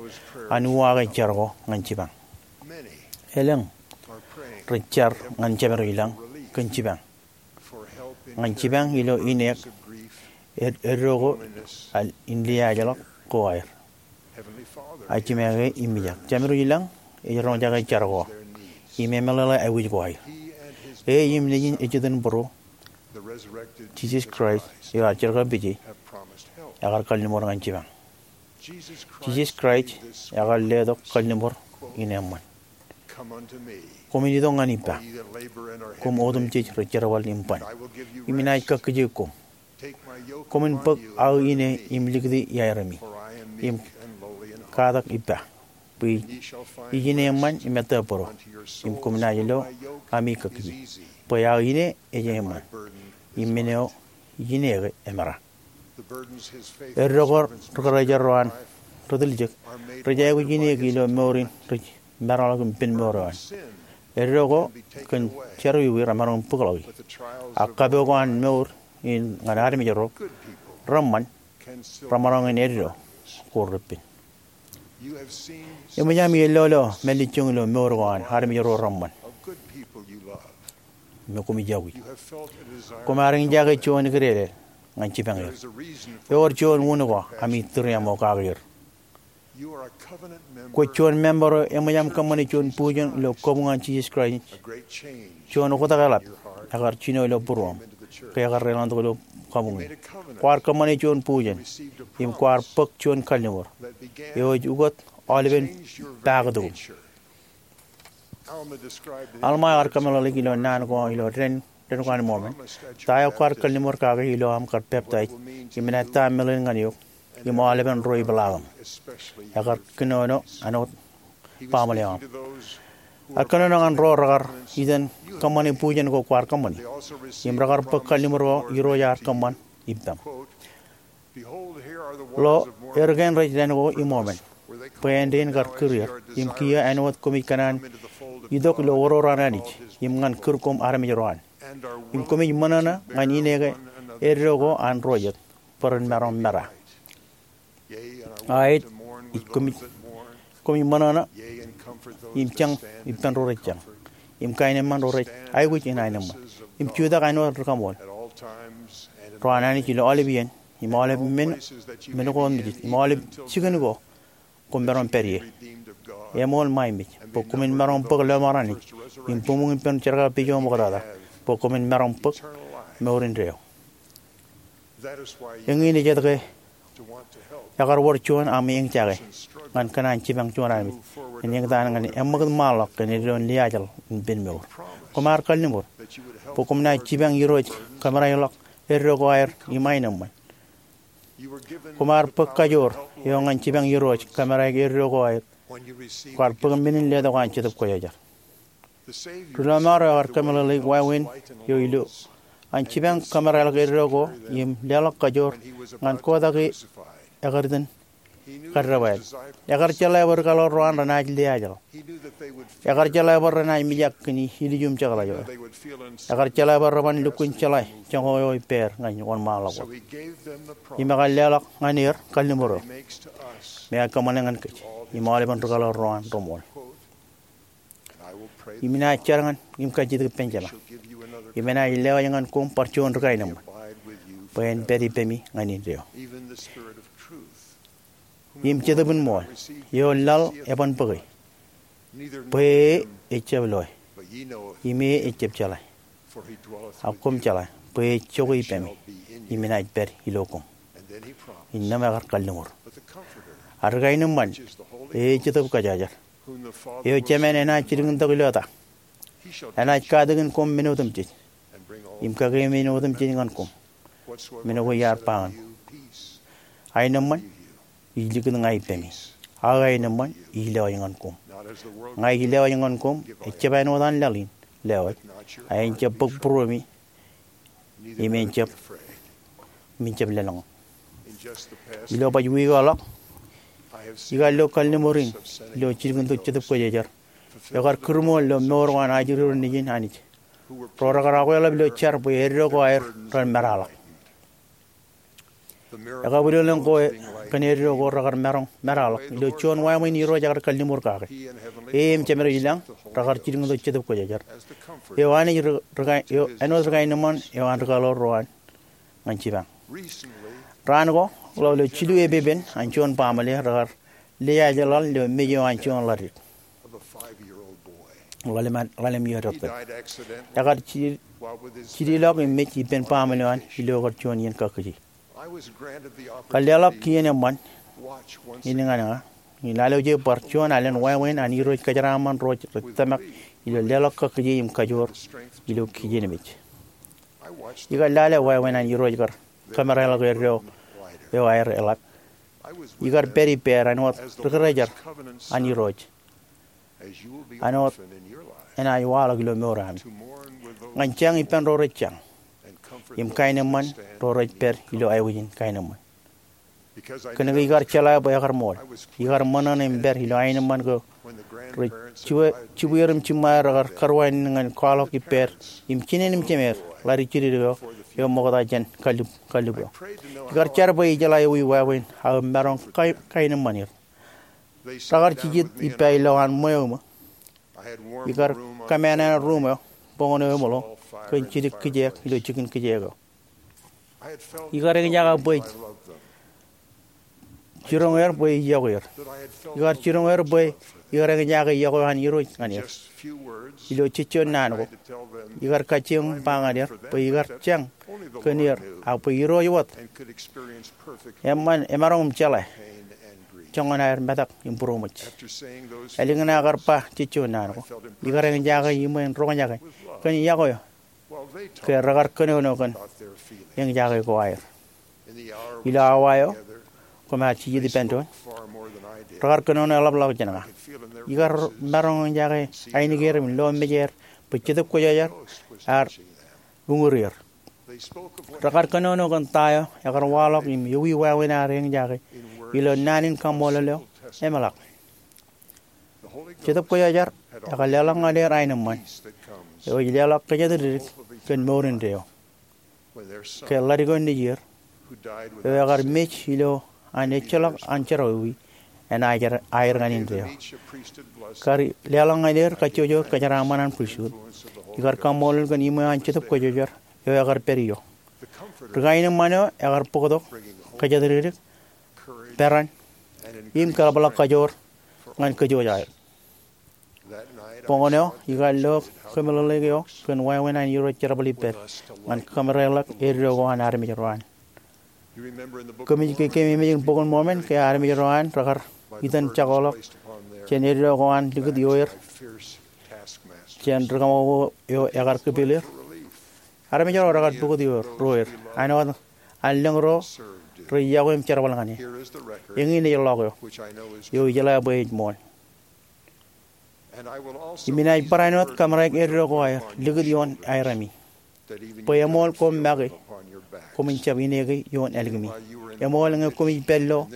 an uwaake jar ko ñan jipañ. Elōñ rej jar ñan jemedwōj ilañ kōn jipañ. Ñan jipañ ilo ineek ed-, eddo ko al in liaajḷọk ko aer. Ak jimeañ ke im mijak. Jemedwōj ilañ ej roñjake jar ko im emeḷeḷe aikuj ko aer. E im nejin ejitōnbōro, Jisōs Kraist eo ear jerkakpeje, ekar kalliṃur ñan jipañ. Jisōs Kraist ekar letok kalliṃur in eṃṃan. Koṃwin itok ñan ippa, koṃ otemjej rej jerbal im ban, im inaaj kakkije koṃ. Koṃwin bōk aō ine im likūti iaeremi, im katak ippa, bwe ij ine eṃṃan im ettā bōro, im koṃ naaj lo ami kakkije. Bwe aō ine ej eṃṃan, im men eo ij ine ke emera. Eddo ko ri-kōrā ro an ri-tiljek rej aikuj ineek ilo mour in rej maroñḷọk im pen mour eo an. Eddo ko kōn jerọwiwi remaroñ in bōkḷọki. Ak kapo ko an mour in ñan armej ro reṃṃan remaroñ in eddo ko repen. Eṃōj ami ellolo mālejjoñ ilo mour ko an armej ro reṃṃan me koṃij yokwi. Koṃ ar eñjake juon kidedel ñan jipañ er. Ewōr juon wūn ko ami tūriaṃo kake er. Kwōj juon member eo eṃōj aṃ kōṃṃane juon bujen ilo kabuñ an Jisōs Kraist. Juon oktak eḷap ekar jino ilo būruōṃ ke ekar deḷọñtok ilo kabuñ in. Kwaar kōṃṃane juon bujen im kwaar bōk juon kalliṃur eo ej ukōt aolepen paktok. Alma ear kōmeḷeḷeik ilo naan ko ilo dān, dān ko an Mōmon, ta eo kwaar kalliṃur kake ilo aṃ kar peptaij, im enaaj ta meḷeḷein ñan eok im aolepen ro ipeḷaakōṃ. Ekar kōnono āinwōt baaṃle eo aṃ. Ear kōnono ñan ro rekar itōn kōṃṃane bujen ko kwaar kōṃṃane, im rekar bōk kalliṃur ko Irooj ear kōṃṃan ippaṃ. Lo, er kein rej dān ko iṃōṃōn, bwe āindein kar kūr er, im kiiō āinwōt koṃij kōṇaan itok ilo oror an Anij, im ñan kūr koṃ armej ro an. Im koṃij ṃōṇōṇō ñan ine ke eddo ko an ro jet, bwe ren maroñ mera. Aet, ij koṃij, koṃij ṃōṇōṇō, im jañ ippān ro rej jañ, im kaenōṃṃan ro rej aikuj in aenōṃṃan, im jutak āinwōt ri kaṃool ro an Anij ilo aolep iien, im aolep men, men ko otemjej, im aolep jikin ko koṃ maroñ pād ie. Eṃool ṃae mej bwe koṃwin maroñ bōk lọmọọr Anij, im buṃōñ ippān jerkakpejo ṃoktata, bwe koṃwin maroñ bōk mour indeeo. Eñin ej etke ekar wōr juon aṃ eñjake ñan kōṇaan jipañ juon armej en eñtaan ñan eṃṃakūt ṃaanḷọk kōn eddoin liaajḷọk in pen mour. Koṃ ar kalliṃur bwe koṃ naaj jipañ Irooj kōmereḷọk eddo ko aer im aenōṃṃan. Koṃ ar bōk kajoor eo ñan jipañ Irooj kōmereḷọk eddo ko aer kwaar bōk men in letok an Jetōb Kwōjarjar. Ri lọmọọr eo ekar kōmeḷeḷeik wāween eo ilo an jipañ kōmereḷọk eddo ko im leḷọk kajoor ñan kotak e ekar itōn kaddewāāl. Ekar jeḷā bwe ri kaḷoor ro an renaaj liaajḷọk. Ekar jeḷā bwe renaaj mijak kōn ilju im jekḷaj eo. Ekar jeḷā bwe reban lukkuun jeḷā joñak eo ippāer ñan wōnṃaanḷọk wōt. Im ekar leḷọk ñan er kalliṃur eo me ej kōṃṃane ñan kōj im aolepen ri kaḷoor ro an reṃool. Im inaaj jar ñan im kajjitōk ippān Jema, im enaaj lewōj ñan koṃ bar juon ri kaenōṃṃan, bwe en pād ippemi ñan indeeo, im Jetōb in ṃool, eo laḷ eban bōke, bwe e ejjab loe, im e ejjab jeḷā. Ak koṃ jeḷā bwe ej jokwe ippemi, im enaaj pād ilo koṃ. Innām ekar kalliṃur. Ak ri kaenōṃṃan, eo ej Jetōb Kwōjarjar, eo Jemān enaaj jilkintok ilo ta, enaaj katakin koṃ men otemjej, im kakememej men otemjej ñan koṃ, men ko iar ba ñan koṃ. Aenōṃṃan ij likūt ña ippemi, ak aenōṃṃan ij lewōj ñan koṃ. Ña ij lewōj ñan koṃ, ejjab āinwōt an laḷ in lewōj, a en jab bōk būruemi, im en jab, im en jab lōḷñọñ. Ilo baj wiik eo ḷọk, ikar lo kalliṃur in ilo jilkintok Jetōb Kwōjarjar eo ekar kūrṃool ilo mour ko an ajri ro nejin Anij, ro rekar akweḷap ilo jar bwe eddo ko aer ren meraḷọk. Ekabwilōñlōñ ko kōn eddo ko rekar maroñ meraḷọk ilo juon wāween Irooj ekar kalliṃur kake. E im Jemed eo ilañ rekar jilkintok Jetōb Kwōjarjar, eo Anij ri, ri kae-, eo āinwōt ri kaenōṃṃan eo an ri kaḷoor ro an ñan jipañ. Raan ko, ḷọk ilo jilu epepen an juon baaṃle rekar liaajḷaḷ ilo mej eo an juon ḷaddik ḷalem, ḷalem iiō depdep. Ekar ji-, jililọk im mej ippān baaṃle eo an ilo kar juon iien kakkije. Kar leḷọk kien eṃṃan in ñan ña, im lale ije bar juon alen wāween an Irooj kōjeraaṃṃan ro rej tōmak ilo leḷọk kakkije im kajoor ilo kijenmej. Ikar lale wāween an Irooj kar kōmereḷọk eddo eo aer eḷap. Ikar pād ippāer āinwōt ri kōrā jar an Irooj, āinwōt enaaj waḷọk ilo mour eo aṃ, ñan jañ ippān ro rej jañ, im kaenōṃṃan ro rej pād ilo aikuj in kaenōṃṃan. Kōnke ikar jeḷā bwe ekar ṃool, ikar ṃōṇōṇō im pād ilo aenōṃṃan ko rej jibwe, jibwier im jiṃṃaer rekar kōrwāān ñan kwaḷọk ippāer im jinen im jemer ḷaddik jidikdik eo, eo ṃokta jān kallib, kallib eo. Ikar jar bwe ijeḷā ewi wāween aō maroñ kae-, kaenōṃṃan er. Rekar jijet ippa ilowaan ṃweo eo. Ikar kōmānāān ruum eo, boñōn eo eṃōḷo, kōn jidik kijeek ilo jikin kijeek eo. Ikar eñjake bwe ij jiroñ er bwe ij yokwe er. Ikar jiroñ er bwe ikar eñjake yokwe eo an Irooj ñan er. Ilo jejjo naan ko, ikar kajjioñ ba ñan er bwe ikar jañ kōn er, ak bwe Irooj wōt eṃṃan emaroñ im jeḷā joñan aer metak im būroṃōj. Ālikin aō kar ba jejjo naan ko, ikar eñjake iṃwe in roñjake kōn yokwe eo ke rekar kōnono kōn eñjake ko aer. Ilo awa eo koṃ ar jijet ippān doon, rekar kōnono eḷapḷọk jān ña. Ikar maroñ eñjake ainikieer im lọmọmej er bwe Jetōb Kwōjarjar ear uñūr er. Rekar kōnono kōn ta eo ekar waḷọk im ewi wāween aer eñjake ilo naan in kaṃṃoolol eo emeḷak. Jetōb Kwōjarjar ekar leḷọk ñan er aenōṃṃan eo ej leḷọk kōjatdikdik kōn mour indeeo. Ke ḷadik eo nejier eo ekar mej ilo an ejjeḷọk an jerọwiwi enaaj aer ñan indeeo. Kar leḷọk ñan er kajjojo kōjeraaṃṃan an pristut, ikar kaṃṃoolol kōn iṃweo an Jetōb Kwōjarjar eo ekar pād ijo. Ri kaenōṃṃan eo ekar bōktok, kōjatdikdik, peran, im kōḷapḷọk kajoor ñan kōj aer. Boñōn eo ikar lo kōmeḷeḷeik eo kōn wāween an Irooj jerbal ippād ñan kōmereḷọk eddo ko an armej ro an. Koṃij ke kememej in Bok in Mormon ke armej ro an rekar itōn jakoḷọk jān eddo ko an likūt ioer jān ri kaṃakoko eo ekar kipil er? Armej ro rekar pukot ioer, ro er, āinwōt an lōñ ro rej yokwe im jerbal ñan e. Eñin ej ḷọk eo, eo ijeḷā bwe ej ṃool. Im inaaj barāinwōt kōmereik eddo ko aer likūt ioon aerami, bwe eṃool koṃ make, koṃwin jab ineke ioon ālikimi. Eṃool ñe koṃij pād ilo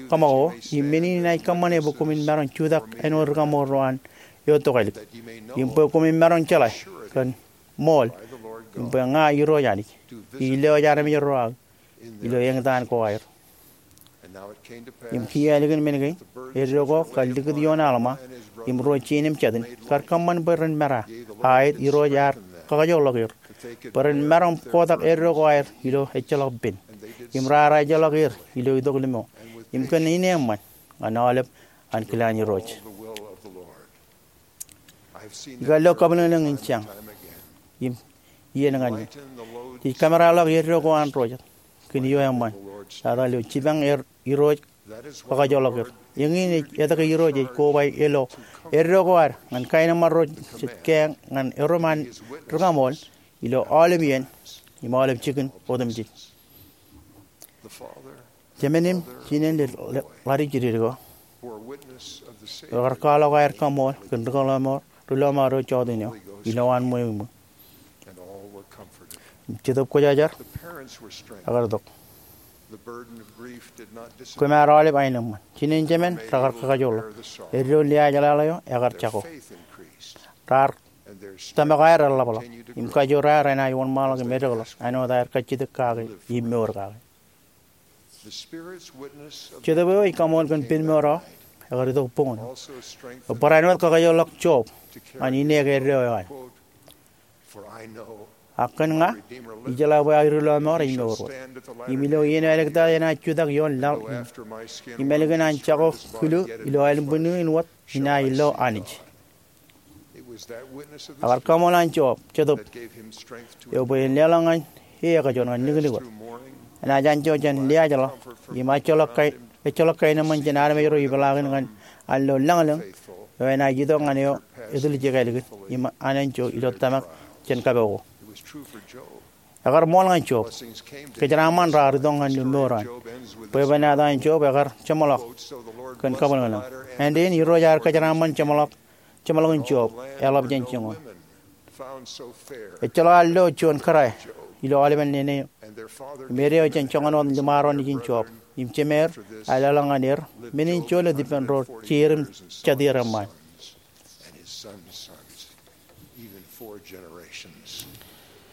kaṃakoko, im men in inaaj kōṃṃane bwe koṃwin maroñ jutak āinwōt ri kaṃool ro an eo tokālik, im bwe koṃwin maroñ jeḷā kōn ṃool, im bwe ña Irooj Anij, ij lewōj armej ro aō ilo eñtaan ko aer. Im kiiō ālikin men kein, eddo ko kar likūt ioon Alma im ro jein im jatin, kar kōṃṃan bwe ren mera, a aet Irooj ear kakajoorḷọk er bwe ren maroñ kotak eddo ko aer ilo ejjeḷọk pen, im raar ejjeḷọk er ilo itok liṃo, im kōn ineeṃṃan ñan aolep an kilaan Irooj. Ikar lo kabwilōñlōñ in jañ im iien ñan eō. Jej kōmereḷọk eddo ko an ro jet kōn iiō eṃṃan, lale ilo jipañ er Irooj kakajoorḷọk er. Eñin ej etke Irooj ej koba ilo eddo ko ad ñan kaenōṃṃan ro jet keeañ ñan erom an ri kaṃool ilo aolep iien im aolep jikin otemjej. Jemān im jinen ḷadik jidikdik eo, eo ekar kwaḷọk aer kaṃool kōn ri lọmọọr, ri lọmọọr eo jọteen eo, ilowaan ṃweo iṃō. Im Jetōb Kwōjarjar ekar itok. Koṃ ar aolep aenōṃṃan. Jinen jemān rekar kakajoorḷọk. Eddo liaajḷaḷ eo ekar jako. Raar tōmak aer eḷapḷọk, im kajoor aer enaaj wōnṃaanḷọk im edekḷọk āinwōt aer kajjitōk kake im mour kake. Jetōb eo ej kaṃool kōn pen mour eo ekar itok boñōn eo. Eo barāinwōt kakajoorḷọk Job ñan ineke eddo eo an. Ak kōn ña, ijeḷā bwe aō ri lọmọọr ej mour wōt, im ilo iien eo āliktata enaaj jutak ioon laḷ in, im ālikin an jako kilu ilo aelōñ bwinniō in wōt, inaaj lo Anij. Ekar kaṃool an Job, Jetōb eo, bwe en leḷọk ñan e ekajoor ñan niknik wōt. Enaaj anjọ jān liaajḷọk im ejjeḷọk kae-, ejjeḷọk kaenōṃṃan jān armej ro ipeḷaakin ñan an lo lañlōñ eo enaaj itok ñan eo etiljek ālikin im an enjo ilo tōmak jān kapo ko. Ekar ṃool ñan Job. Kōjeraaṃṃan raar itok ñan lo mour an. Bwebwenato an Job ekar jeṃḷọk kōn kabwilōñlōñ. Āindein Irooj ear kōjeraaṃṃan jeṃḷọk jeṃḷọkin Job eḷap jān joñan. Ejjeḷọk an lo juon kōrā ilo aolepen nene eo im ede eo jān joñan wōt liṃaro nejin Job, im jemeer ear leḷọk ñan er men in joḷọk ippān ro jeir im jatier eṃṃaan.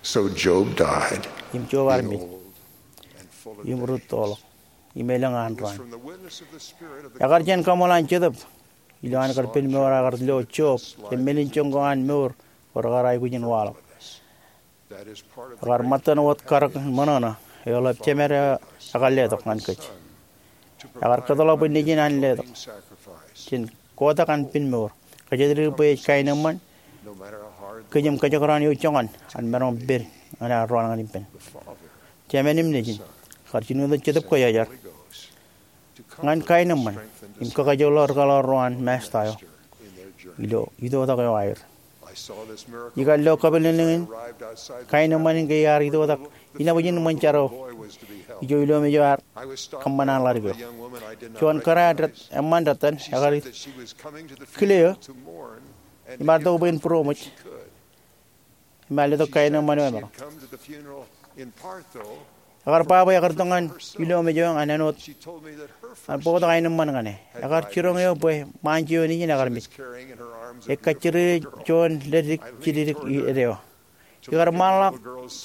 So Job died. Im Job ear mej im rūttoḷọk im elōñ an raan. Ekar jān kaṃool an Jetōb ilo an kar pen mour, ekar lo Job jān men in joñ ko an mour ko rekar aikuj in waḷọk. Ekar ṃōttan wōt karōk in ṃōṇōṇō eo eḷap jemed eo ekar letok ñan kōj. Ekar kōtḷọk bwe nejin an letok jān kotak an pen mour, kōjatdikdik bwe ej kaenōṃṃan kōj im kōjekdọọn eo joñan an maroñ pād ñan aer rọọl ñan ippān. Jemān im nejin, kar jino tok Jetōb Kwōjarjar ñan kaenōṃṃan im kakajoorḷọk ri kaḷoor ro an Masta eo ilo itoitak eo aer. Ikar lo kabwilōñlōñ in kaenōṃṃan in ke iar itoitak inepojin ṃōn jar eo ijo ilomej eo ear kōṃṃan an ḷadik eo. Juon kōrā eṃṃan dettan ekar kile eō im ear tok bwe en būroṃōj im ear letok kaenōṃṃan eo emaroñ. Ekar ba bwe ekar itok ñan ilomej eo ñan āinwōt an bōktok aenōṃṃan ñan e. Ekar jiroñ eō bwe ṃaanjeo nejin ekar mej. Ej kajjirere juon leddik jidikdik eo. Ikar ṃaanḷọk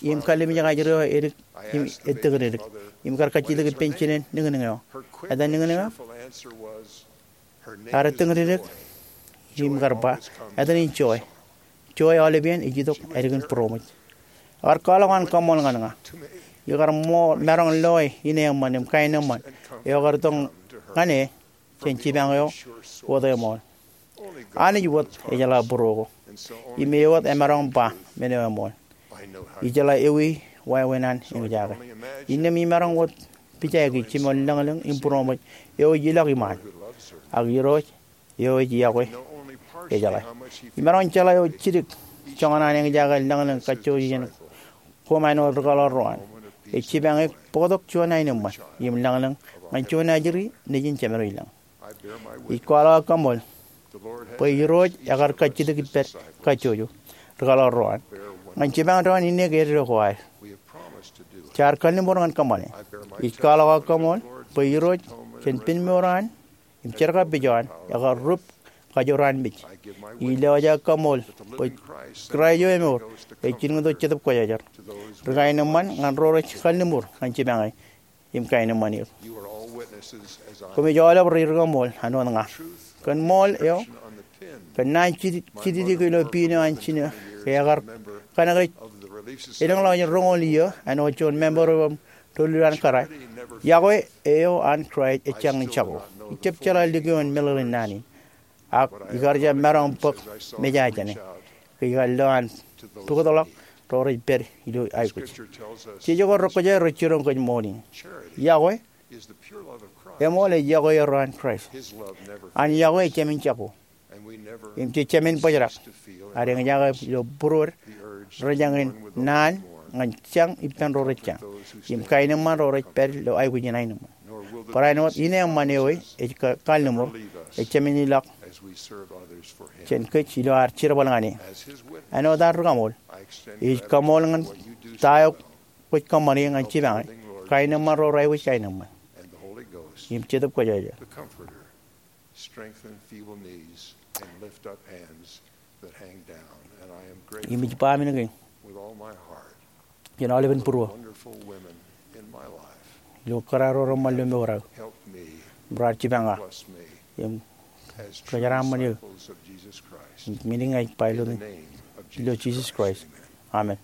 im kallimjek ajri eo edik im ettōñdikdik im kar kajjitōk ippān jinen niñniñ eo. Etan niñniñ eo? Ear ettōñdikdik im kar ba, etan in Joy. Joy aolepān ej itok ālikin būroṃōj. Ekar kwaḷọk an kaṃṃool ñan ña. Ikar ṃool maroñ loe ine eṃṃan im kaenōṃṃan eo ekar itok ñan e jān jipañ eo wōt eṃool. Anij wōt ejeḷā būruō ko. Im e wōt emaroñ ba men eo eṃool. Ijeḷā ewi wāween an eñjake. Innām imaroñ wōt pijāki jimjuon lañlōñ im būroṃōj eo ej ilọk iṃaan. Ak Irooj eo ej iọkwe ejeḷā. Imaroñ jeḷā eo jidik joñan an eñjake lañlōñ kajjojo jān koṃ āinwōt rūkaḷoor ro an. Ej jipañ eok bōktok juon aenōṃṃan im lañlōñ ñan juon ajri nejin Jemedwōj lañ. Ij kwaḷọk aō kaṃṃool bwe Irooj ekar kajjitōk ippād kajjojo rūkaḷoor ro an ñan jipañ doon inne ke eddo ko ad. Jaar kalliṃur ñan kōṃṃane. Ij kwaḷọk aō kaṃṃool bwe Irooj jān penmour an im jerkapij eo an ekar rup kajoor an mej. Ij lewōj aō kaṃṃool bwe Kraist eo emour ej jilkintok Jetōb Kwōjarjar ri kaenōṃṃan ñan ro rej kalliṃur ñan jipañe im kaenōṃṃan er. Koṃij aolep rej ri kaṃool āinwōt ña. Kōn ṃool eo, kōn naan jitijdik ilo piin eo an jino ke ekar kōnke ej elōñḷọk jān roñoul iiō āinwōt juon member eo an doulul an kōrā, iọkwe eo an Kraist ejjañin jako. Ij jab jeḷā likioon meḷeḷein naan in. Ak ikar jab maroñ bōk mejān jāne ke ikar lo an bōktok ḷọk ro rej pād ilo aikuj. Jeje ko rekwōjarjar rej jiroñ kōj ṃool in. Iọkwe eṃool ej iọkwe eo an Kraist. An iọkwe ejāmin jako. Im jej jab men bōjrak ad eñjake ilo būruod rejañin naan ñan jañ ippān ro rej jañ im kaenōṃṃan ro rej pād ilo aikuj in aenōṃṃan. Barāinwōt ine eṃṃan eo ej kalliṃur ejāmin ilọk jān kōj ilo ad jerbal ñan e. Āinwōt ad ri kaṃool, ij kaṃool ñan ta eo kwōj kōṃṃane ñan jipañe kaenōṃṃan ro rej aikuj kaenōṃṃan im Jetōb Kwōjarjar. Im ij ba men kein jān aolepen būruō ilo kōrā ro reṃṃan ilo mour eo im raar jipañ ña im kōjeraaṃṃan eō. Im men in ij ba ilo etan eo an Jisōs Kraist, amen.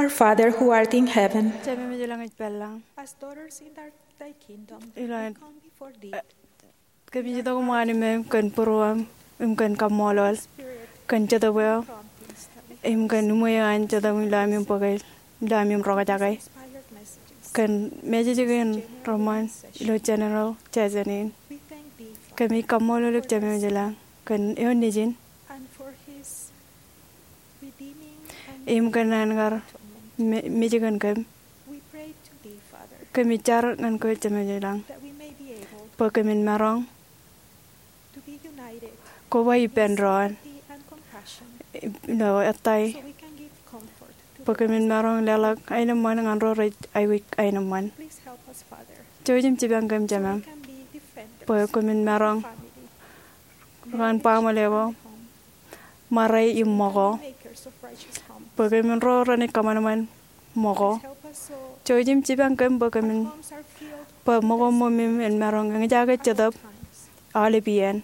Our Father who art in heaven, Jemem ej ilañ ej pellañ. As daughters in thy, thy kingdom, ilo we come before thee. Kōmij itok im wōnṃaanḷọk kōn būruōṃ im kōn kaṃṃoolol kōn Jetōb eo im kōn uṃweo an Jetōb ilo ami bōke ilo ami roñjake kōn message kein reṃṃan ilo general session in. Kōmij kaṃṃoolol eok Jemem ilañ kōn eoon nejin im kōn an kar mej kōn kōm. Kōmij jar ñan kwe Jemem ilañ bwe kōmin maroñ koba ippān doon ilo ettā bwe kōmin maroñ leḷọk aenōṃṃan ñan ro rej aikuj aenōṃṃan. Jouj im jipañ kōm Jemem bwe kōmin maroñ ñan baaṃle ko, ṃare im ṃōko, bwe kōmin ro renaaj kōṃanṃan ṃōko. Jouj im jipañ kōm bwe kōmin, bwe ṃōko ṃōmim en maroñ eñjake Jetōb aolep iien.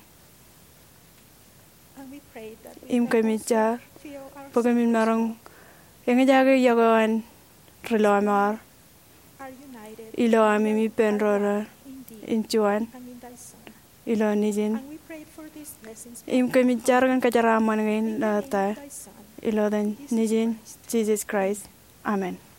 Im kōmij jar bwe kōmin maroñ eñjake iọkwe eo an ri lọmọọr ilo ami ippān doon in juon ilo nejin. Im kōmij jar kōn kōjeraaṃṃan kein ilo ettā ilo etan nejin Jisōs Kraist. Amen.